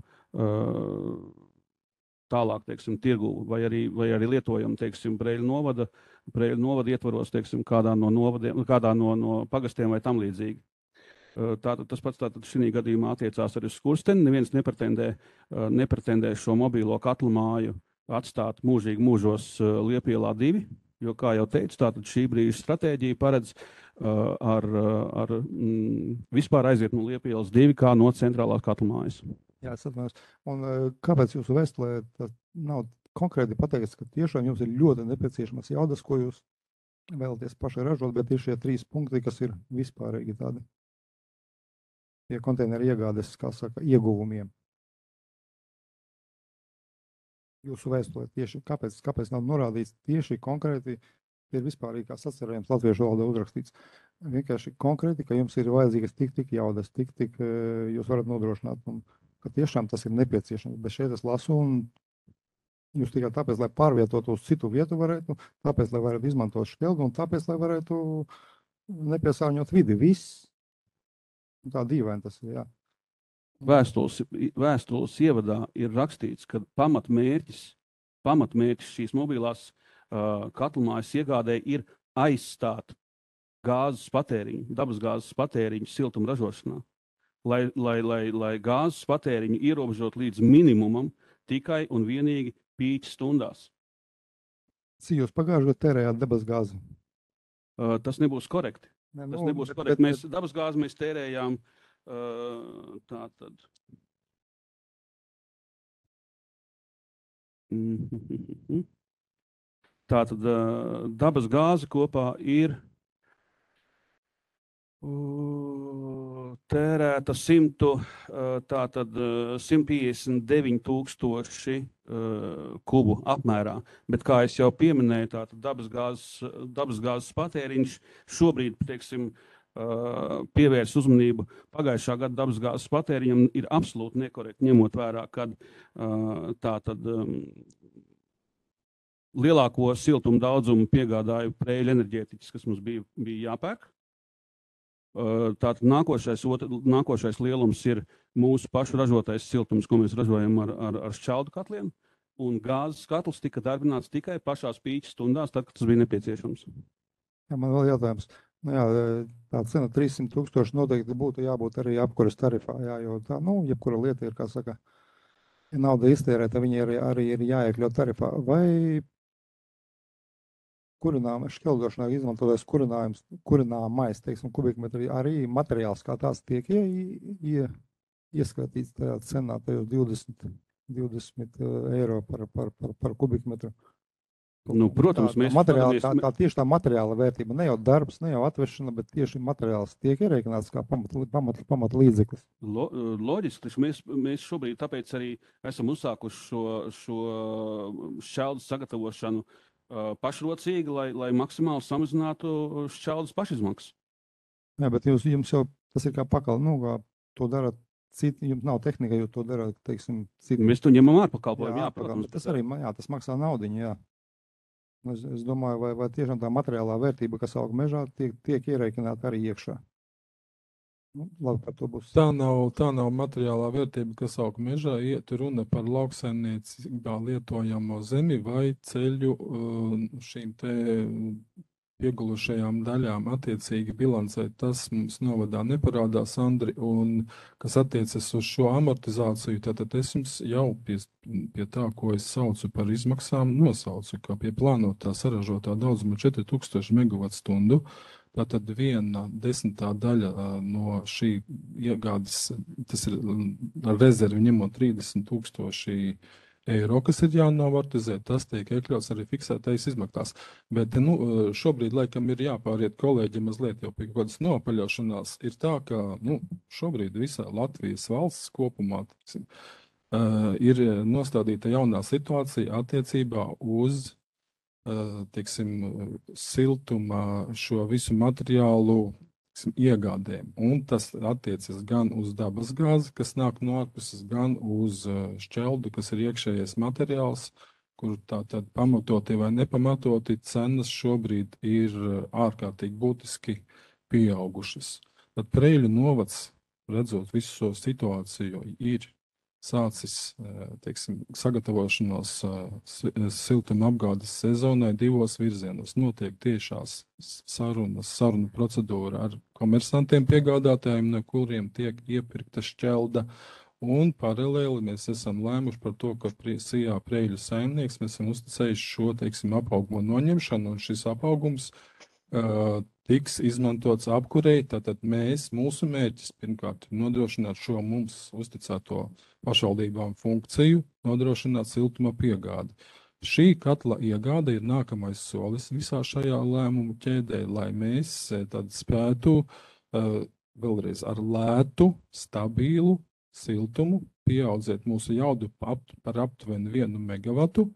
tālāk, teiksim, tirgu, vai arī lietojam, teiksim, Preiļu novada ietvaros, teiksim, kādā no pagastiem vai tam līdzīgi. Tātad tas pats šī gadījumā attiecās arī uz Skursteni. Neviens nepretendē šo mobilo katlamāju atstāt mūžīgi mūžos Liepielā 2, jo, kā jau teicu, tātad šī brīža stratēģija paredz vispār aiziet no Liepielas 2 kā no centrālās katlamājas. Jā, es atvainojos. Un kāpēc jūsu vēstulē tas nav konkrēti pateikts, ka tiešām jums ir ļoti nepieciešamas jaudas, ko jūs vēlaties paši ražot, bet ir šie 3 punkti, kas ir vispārīgi tādi pie konteineru iegādes, kā saka, ieguvumiem. Jūsu vēstulē tieši, kāpēc nav norādīts tieši konkrēti, ir vispārīgi kā sacerējums latviešu valodā uzrakstīts. Vienkārši konkrēti, ka jums ir vajadzīgas tik jaudas, tik jūs varat nodrošināt, un ka tiešām tas ir nepieciešams. Bet šeit es lasu, un jūs tikai tāpēc, lai pārvietotu uz citu vietu varētu, tāpēc, lai varētu izmantot šķeldu, un tāpēc, lai varētu nepiesārņot vidi. Viss. Tā dīvaini tas ir, jā. Vēstules ievadā ir rakstīts, ka pamatmērķis šīs mobilās katlamājas iegādē ir aizstāt gāzes patēriņu, dabasgāzes patēriņu siltuma ražošanā. Lai gāzes patēriņu ierobežot līdz minimumam tikai un vienīgi pīķa stundās. Cik jūs pagājušajā gadā tērējāt dabasgāzi? Tas nebūs korekti. Tas nebūs korekti. Mēs dabasgāzi mēs tērējām tātad. Tātad dabasgāze kopā ir tērēta 159,000 kubu apmērā, bet, kā es jau pieminēju, tātad dabasgāzes patēriņš šobrīd, teiksim, pievērs uzmanību pagājušā gada dabasgāzes patēriņam ir absolūti nekorekti, ņemot vērā, kad tātad lielāko siltumu daudzumu piegādāja Preiļu enerģētiķis, kas mums bija jāpērk. Tātad nākošais lielums ir mūsu pašu ražotais siltums, ko mēs ražojam ar šķeldu katliem, un gāzes katls tika darbināts tikai pašās pīķa stundās, tad, kad tas bija nepieciešams. Jā, man vēl jautājums. Nu jā, tā cena 300,000 noteikti būtu jābūt arī apkuras tarifā, jā, jo tā, jebkura lieta ir, kā saka, ja nauda iztērēta, viņi arī ir jāiekļaut tarifā. Vai kurinājuma šķeldošanā izmantotais kurināmais, teiksim, kubikmetri, arī materiāls kā tās tiek ieskatīts tajā cenā, tajos 20 eiro par kubikmetru? Protams, tieši tā materiāla vērtība, ne jau darbs, ne jau atvešana, bet tieši materiāls tiek ierēķināts kā pamat līdzeklis. Loģiski, mēs šobrīd tāpēc arī esam uzsākuši šo šķeldas sagatavošanu pašrocīgi, lai maksimāli samazinātu šķeldas pašizmaksas. Jā, bet jums jau tas ir kā pakal, kā to dara citi, jums nav tehnika, jo to dara, teiksim, citi. Mēs to ņemam ārpakalpojumu, protams. Tas arī, tas maksā naudiņu, jā. Es domāju, vai tiešām tā materiālā vērtība, kas aug mežā, tiek ierēķināta arī iekšā. Labi, par to būs. Tā nav materiālā vērtība, kas aug mežā, iet runa par lauksaimniecībā lietojamo zemi vai ceļu šīm te piegulušajām daļām attiecīgi bilancē. Tas mums novadā neparādās, Andri, un kas attiecas uz šo amortizāciju, tad es jums jau pie tā, ko es saucu par izmaksām, nosaucu, ka pie plānotā saražotā daudzuma 4000 megawatstundu, tātad 1/10 daļa no šī iegādes, tas ir ar rezervi ņemot 30,000 eiro, kas ir jānovārtizē, tas tiek iekļauts arī fiksētais izmaksās. Bet šobrīd, laikam, ir jāpāriet kolēģi mazliet jau pie kaut kādas nopaļošanās. Ir tā, ka šobrīd visā Latvijas valsts kopumā ir nostādīta jaunā situācija attiecībā uz siltuma šo visu materiālu iegādēm. Un tas attiecas gan uz dabas gāzi, kas nāk no ārpuses, gan uz šķeldu, kas ir iekšējais materiāls, kur tātad pamatoti vai nepamatoti cenas šobrīd ir ārkārtīgi būtiski pieaugušas. Tad Preiļu novads, redzot visu šo situāciju, ir sācis sagatavošanos siltuma apgādes sezonai divos virzienos. Notiek tiešās sarunu procedūra ar komersantiem piegādātājiem, no kuriem tiek iepirkta šķelda. Un paralēli mēs esam lēmuši par to, ka Sijā Preiļu saimnieks mēs esam uzticējuši šo, apaugumu noņemšanu, un šis apaugums tiks izmantots apkurei. Tātad mūsu mērķis pirmkārt nodrošināt šo mums uzticēto pašvaldībām funkciju, nodrošināt siltuma piegādi. Šī katla iegāde ir nākamais solis visā šajā lēmumu ķēdē, lai mēs tad spētu vēlreiz ar lētu, stabilu siltumu pieaudzēt mūsu jaudu par aptuveni 1 megavatu.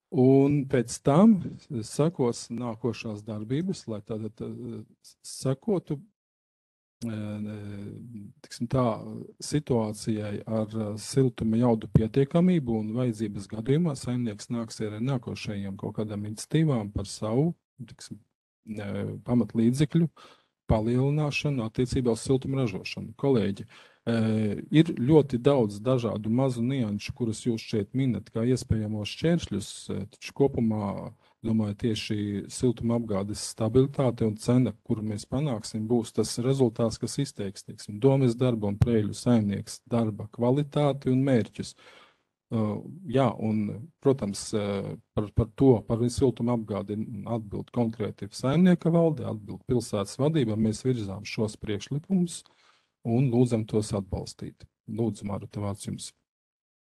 Un pēc tam sekos nākošās darbības, lai tātad sekotu situācijai ar siltuma jaudu pietiekamību, un vajadzības gadījumā saimnieks nāks ar nākošajiem kaut kādām iniciatīvām par savu pamatlīdzekļu palielināšanu attiecībā uz siltuma ražošanu. Kolēģi, ir ļoti daudz dažādu mazu nianšu, kurus jūs šeit minat kā iespējamos šķēršļus, taču kopumā, domāju, tieši siltuma apgādes stabilitāte un cena, kuru mēs panāksim, būs tas rezultāts, kas izteiks, domes darba un Preiļu saimnieks darba kvalitāti un mērķus. Jā, un, protams, par siltuma apgādi atbild konkrēti saimnieka valde, atbild pilsētas vadība, mēs virzām šos priekšlikumus un lūdzam tos atbalstīt. Lūdzu, Maruta, vārds jums.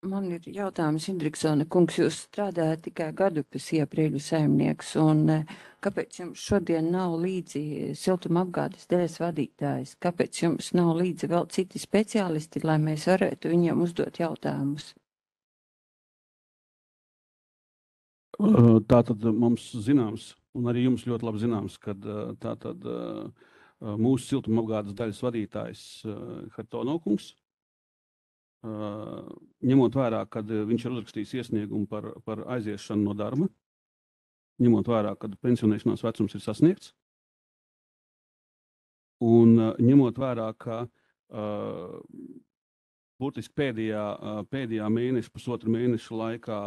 Man ir jautājums, Indriksone kungs, jūs strādājat tikai gadu pēc Preiļu saimnieks, un kāpēc jums šodien nav līdzi siltuma apgādes daļas vadītājs? Kāpēc jums nav līdzi vēl citi speciālisti, lai mēs varētu viņiem uzdot jautājumus? Tātad mums zināms, un arī jums ļoti labi zināms, ka tātad mūsu siltuma apgādes daļas vadītājs Hartono kungs, ņemot vērā, kad viņš ir uzrakstījis iesniegumu par aiziešanu no darba, ņemot vērā, kad pensionēšanās vecums ir sasniegts, un ņemot vērā, ka būtiski pēdējā mēneša, pusotru mēnešu laikā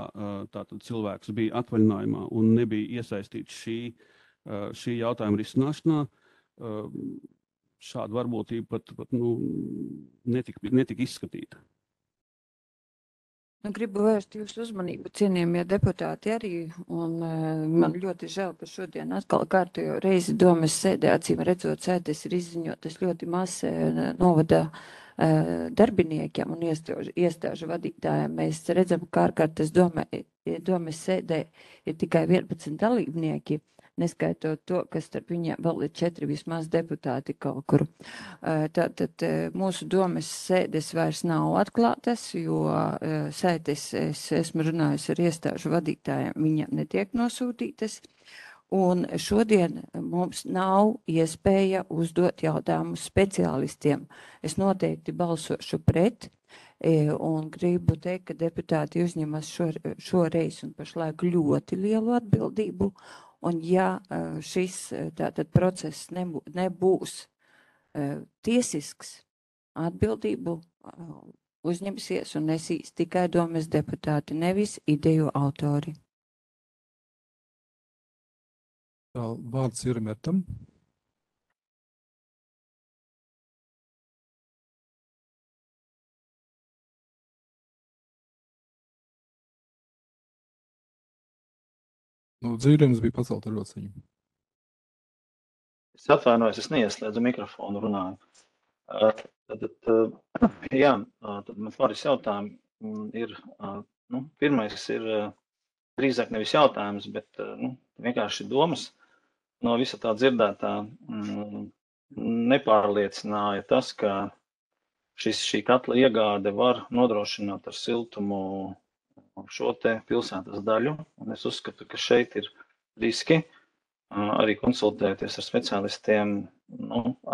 tātad cilvēks bija atvaļinājumā un nebija iesaistīts šī jautājuma risināšanā, šāda varbūtība pat netika izskatīta. Gribu vērst jūsu uzmanību, cienījamie deputāti arī, un man ļoti žēl, ka šodien atkal kārtējo reizi domes sēdē, acīm redzot, sēdes ir izziņotas ļoti maz novada darbiniekiem un iestāžu vadītājiem. Mēs redzam, ka ārkārtas domes sēdē ir tikai 11 dalībnieki, neskaitot to, ka starp viņiem vēl ir 4 vismaz deputāti kaut kur. Tātad mūsu domes sēdes vairs nav atklātas, jo sēdes, es esmu runājusi ar iestāžu vadītājiem, viņiem netiek nosūtītas. Un šodien mums nav iespēja uzdot jautājumus speciālistiem. Es noteikti balsošu pret un gribu teikt, ka deputāti uzņemas šoreiz un pašlaik ļoti lielu atbildību. Un ja šis tātad process nebūs tiesisks, atbildību uzņemsies un nesīs tikai domes deputāti, nevis ideju autori. Vārds ir Metam. Dzīvības bija pacelta rociņa. Es atvainojos, es neieslēdzu mikrofonu runāju. Tad man pāris jautājumi ir Pirmais ir drīzāk nevis jautājums, bet vienkārši domas. No visa tā dzirdētā nepārliecināja tas, ka šī katla iegāde var nodrošināt ar siltumu šo te pilsētas daļu. Un es uzskatu, ka šeit ir riski. Arī konsultējoties ar speciālistiem,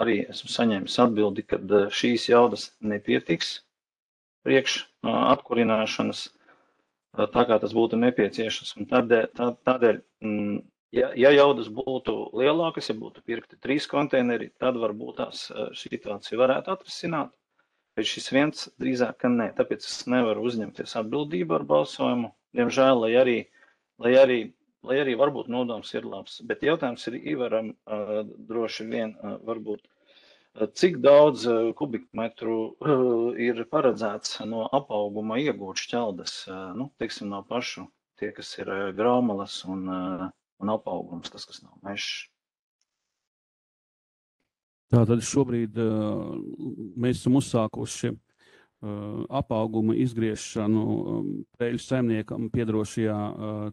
arī esmu saņēmis atbildi, ka šīs jaudas nepietiks priekš atkurināšanas, tā kā tas būtu nepieciešams. Un tādēļ, ja jaudas būtu lielākas, ja būtu pirkti 3 konteineri, tad varbūt tās situācija varētu atrisināt. Bet šis viens drīzāk, ka nē. Tāpēc es nevaru uzņemties atbildību ar balsojumu. Diemžēl, lai arī varbūt nodoms ir labs. Bet jautājums ir Ivaram droši vien varbūt, cik daudz kubikmetru ir paredzēts no apauguma iegūt šķeldas, teiksim, no pašu tie, kas ir graumalas un apaugums, tas, kas nav mežs. Tātad šobrīd mēs esam uzsākuši apauguma izgriešanu Preļu saimniekam piedarošajā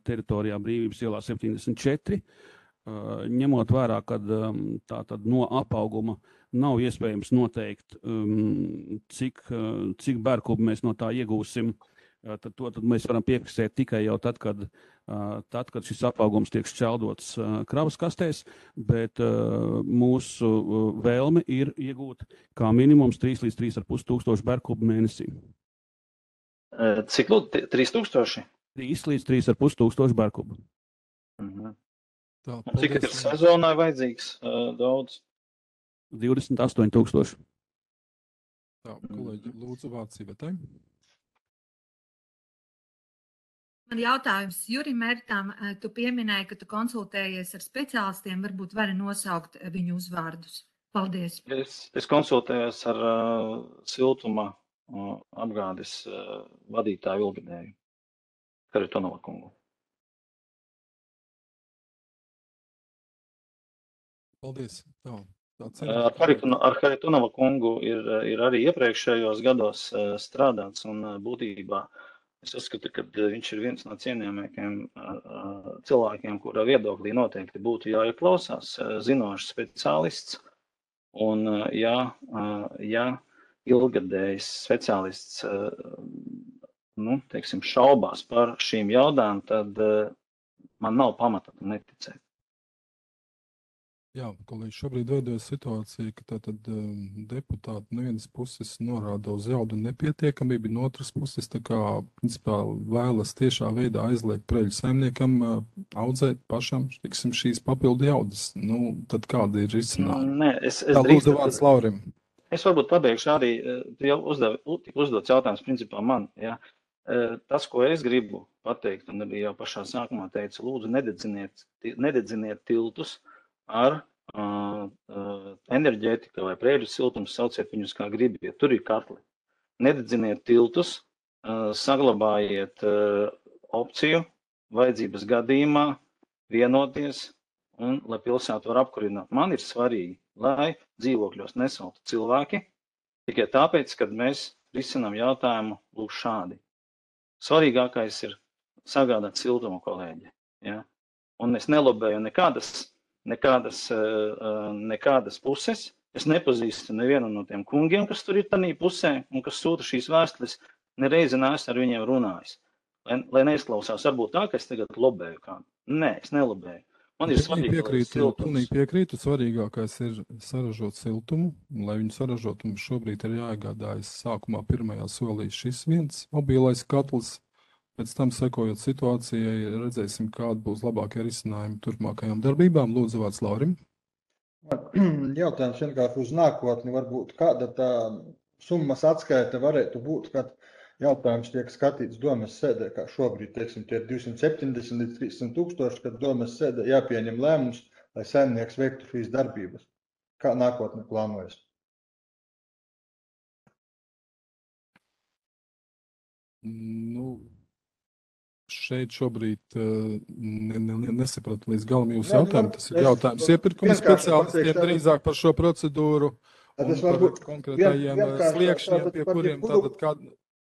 teritorijā Brīvības ielā 74, ņemot vērā, ka tātad no apauguma nav iespējams noteikt, cik bērkubu mēs no tā iegūsim. Tad mēs varam piefiksēt tikai jau tad, kad šis apaugums tiek šķeldots kravas kastēs, bet mūsu vēlme ir iegūt kā minimums 3 līdz 3,5 tūkstoši bērkubu mēnesī. Cik lūdzu? 3000? 3 līdz 3,5 tūkstoši bērkubu. Tā, Cik ir sezonai vajadzīgs daudz? 28,000. Tā, kolēģi, lūdzu vārds Ivetai. Man jautājums Jurim Mērtam, tu pieminēji, ka tu konsultējies ar speciālistiem, varbūt vari nosaukt viņu uzvārdus. Paldies. Es konsultējos ar siltuma apgādes vadītāju Ilgadēju, Haritonova kungu. Paldies. Tā. Ar Haritonova kungu ir arī iepriekšējos gados strādāts, un būtībā es uzskatu, ka viņš ir viens no cienījamākajiem cilvēkiem, kura viedoklī noteikti būtu jāieklausās, zinošs speciālists. Un ja ilgadējs speciālists teiksim, šaubās par šīm jaudām, tad man nav pamata tam neticēt. Jā, kolēģi, šobrīd veidojas situācija, ka tātad deputāti no vienas puses norāda uz jaudu nepietiekamību, no otras puses tā kā, principā, vēlas tiešā veidā aizliegt Preļu saimniekam audzēt pašam, tiksim, šīs papildu jaudas. Tad kāda ir risinājuma? Tā, lūdzu vārds Laurim. Es varbūt pabeigšu arī, jau uzdots jautājums principā man, ja. Tas, ko es gribu pateikt, un arī jau pašā sākumā teicu, lūdzu nededziniet tiltus ar enerģētika vai Preļu siltums, sauciet viņus kā gribiet, tur ir katli. Nededziniet tiltus, saglabājiet opciju vajadzības gadījumā vienoties un lai pilsētu var apkurināt. Man ir svarīgi, lai dzīvokļos nesaltu cilvēki, tikai tāpēc, kad mēs risinām jautājumu lūk šādi. Svarīgākais ir sagādāt siltumu, kolēģi. Ja? Un es nelobēju nekādas puses. Es nepazīstu nevienu no tiem kungiem, kas tur ir tanī pusē un kas sūta šīs vēstules. Nereizi neesmu ar viņiem runājis. Lai neizklausās, varbūt tā, ka es tagad lobēju kādu. Nē, es nelobēju. Man ir svarīgi, piekrītu, svarīgākais ir saražot siltumu. Lai viņu saražot, mums šobrīd ir jāiegādājas sākumā pirmajā solī šis viens mobilais katls. Pēc tam, sekojot situācijai, redzēsim, kāda būs labākie risinājumi turpmākajām darbībām. Lūdzu, vārds Laurim. Jautājums vienkārši uz nākotni. Varbūt kāda tā summas atskaita varētu būt, kad jautājums tiek skatīts domes sēdē, kā šobrīd, teiksim, tie 270 līdz 300 tūkstoši, kad domes sēdē jāpieņem lēmums, lai saimnieks veiktu šīs darbības. Kā nākotne plānojas? Šeit šobrīd nesapratu līdz galam jūsu jautājumu. Tas ir jautājums iepirkuma speciālistiem drīzāk par šo procedūru un par konkrētajiem sliekšņiem, pie kuriem tātad kāda...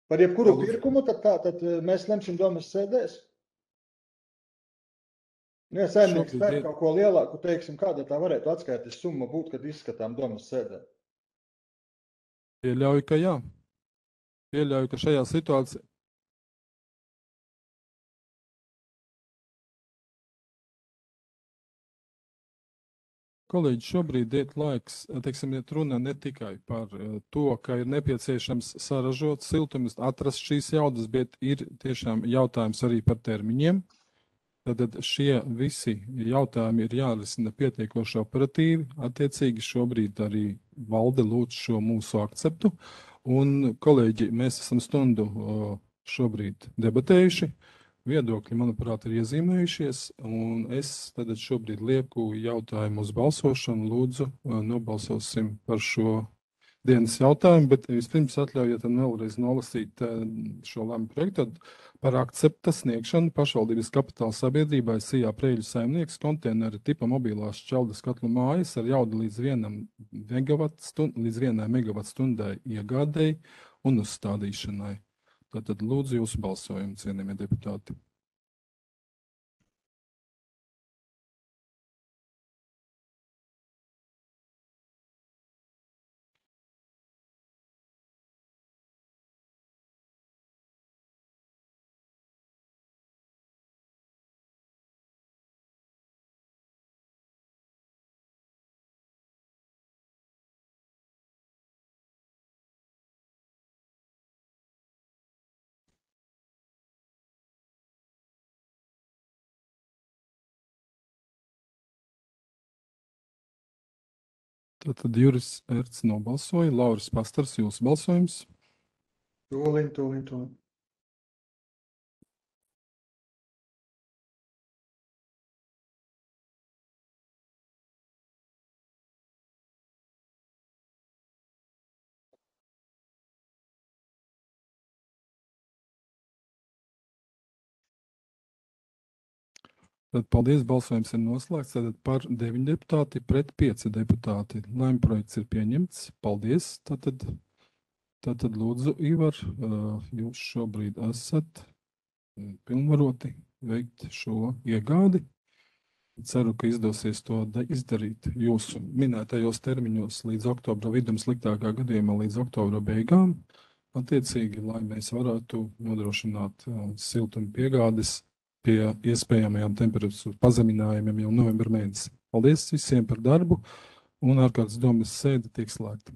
Par jebkuru Lūdzu. pirkumu, tad mēs lemsim domas sēdēs. Ja saimnieks Šobrīd pērk ir- kaut ko lielāku, teiksim, kāda tā varētu atskaites summa būt, kad izskatām domas sēdē? Pieļauju, ka jā. Pieļauju, ka šajā situācijā. Kolēģi, šobrīd iet laiks, teiksim, iet runa ne tikai par to, ka ir nepieciešams saražot siltumus, atrast šīs jaudas, bet ir tiešām jautājums arī par termiņiem. Tad šie visi jautājumi ir jārisina pietiekoši operatīvi. Attiecīgi šobrīd arī valde lūdz šo mūsu akceptu. Un, kolēģi, mēs esam stundu šobrīd debatējuši. Viedokļi, manuprāt, ir iezīmējušies. Un es tad šobrīd lieku jautājumu uz balsošanu. Lūdzu, nobalsosim par šo dienas jautājumu. Bet vispirms atļaujiet vēlreiz nolasīt šo lēmumu projektu. Tad par akcepta sniegšanu pašvaldības kapitāla sabiedrībai Sijā Preļu saimnieks konteineru tipa mobilās šķeldes katlu mājas ar jaudu līdz 1 megavatstundai iegādēji un uzstādīšanai. Tātad lūdzu jūsu balsojumu, cienījamie deputāti. Tātad Juris Erts nobalsoja, Lauris Pastars, jūsu balsojums. Tūliņ. Tad paldies, balsojums ir noslēgts. Tad par 9 deputāti pret 5 deputāti. Lēmuma projekts ir pieņemts. Paldies. Tātad lūdzu, Ivar, jūs šobrīd esat pilnvaroti veikt šo iegādi. Ceru, ka izdosies to izdarīt jūsu minētajos termiņos līdz oktobra vidum, sliktākā gadījumā līdz oktobra beigām. Attiecīgi, lai mēs varētu nodrošināt siltuma piegādes pie iespējamajām temperatūras pazeminājumiem jau novembra mēnesī. Paldies visiem par darbu, un ārkārtas domas sēde tiek slēgta.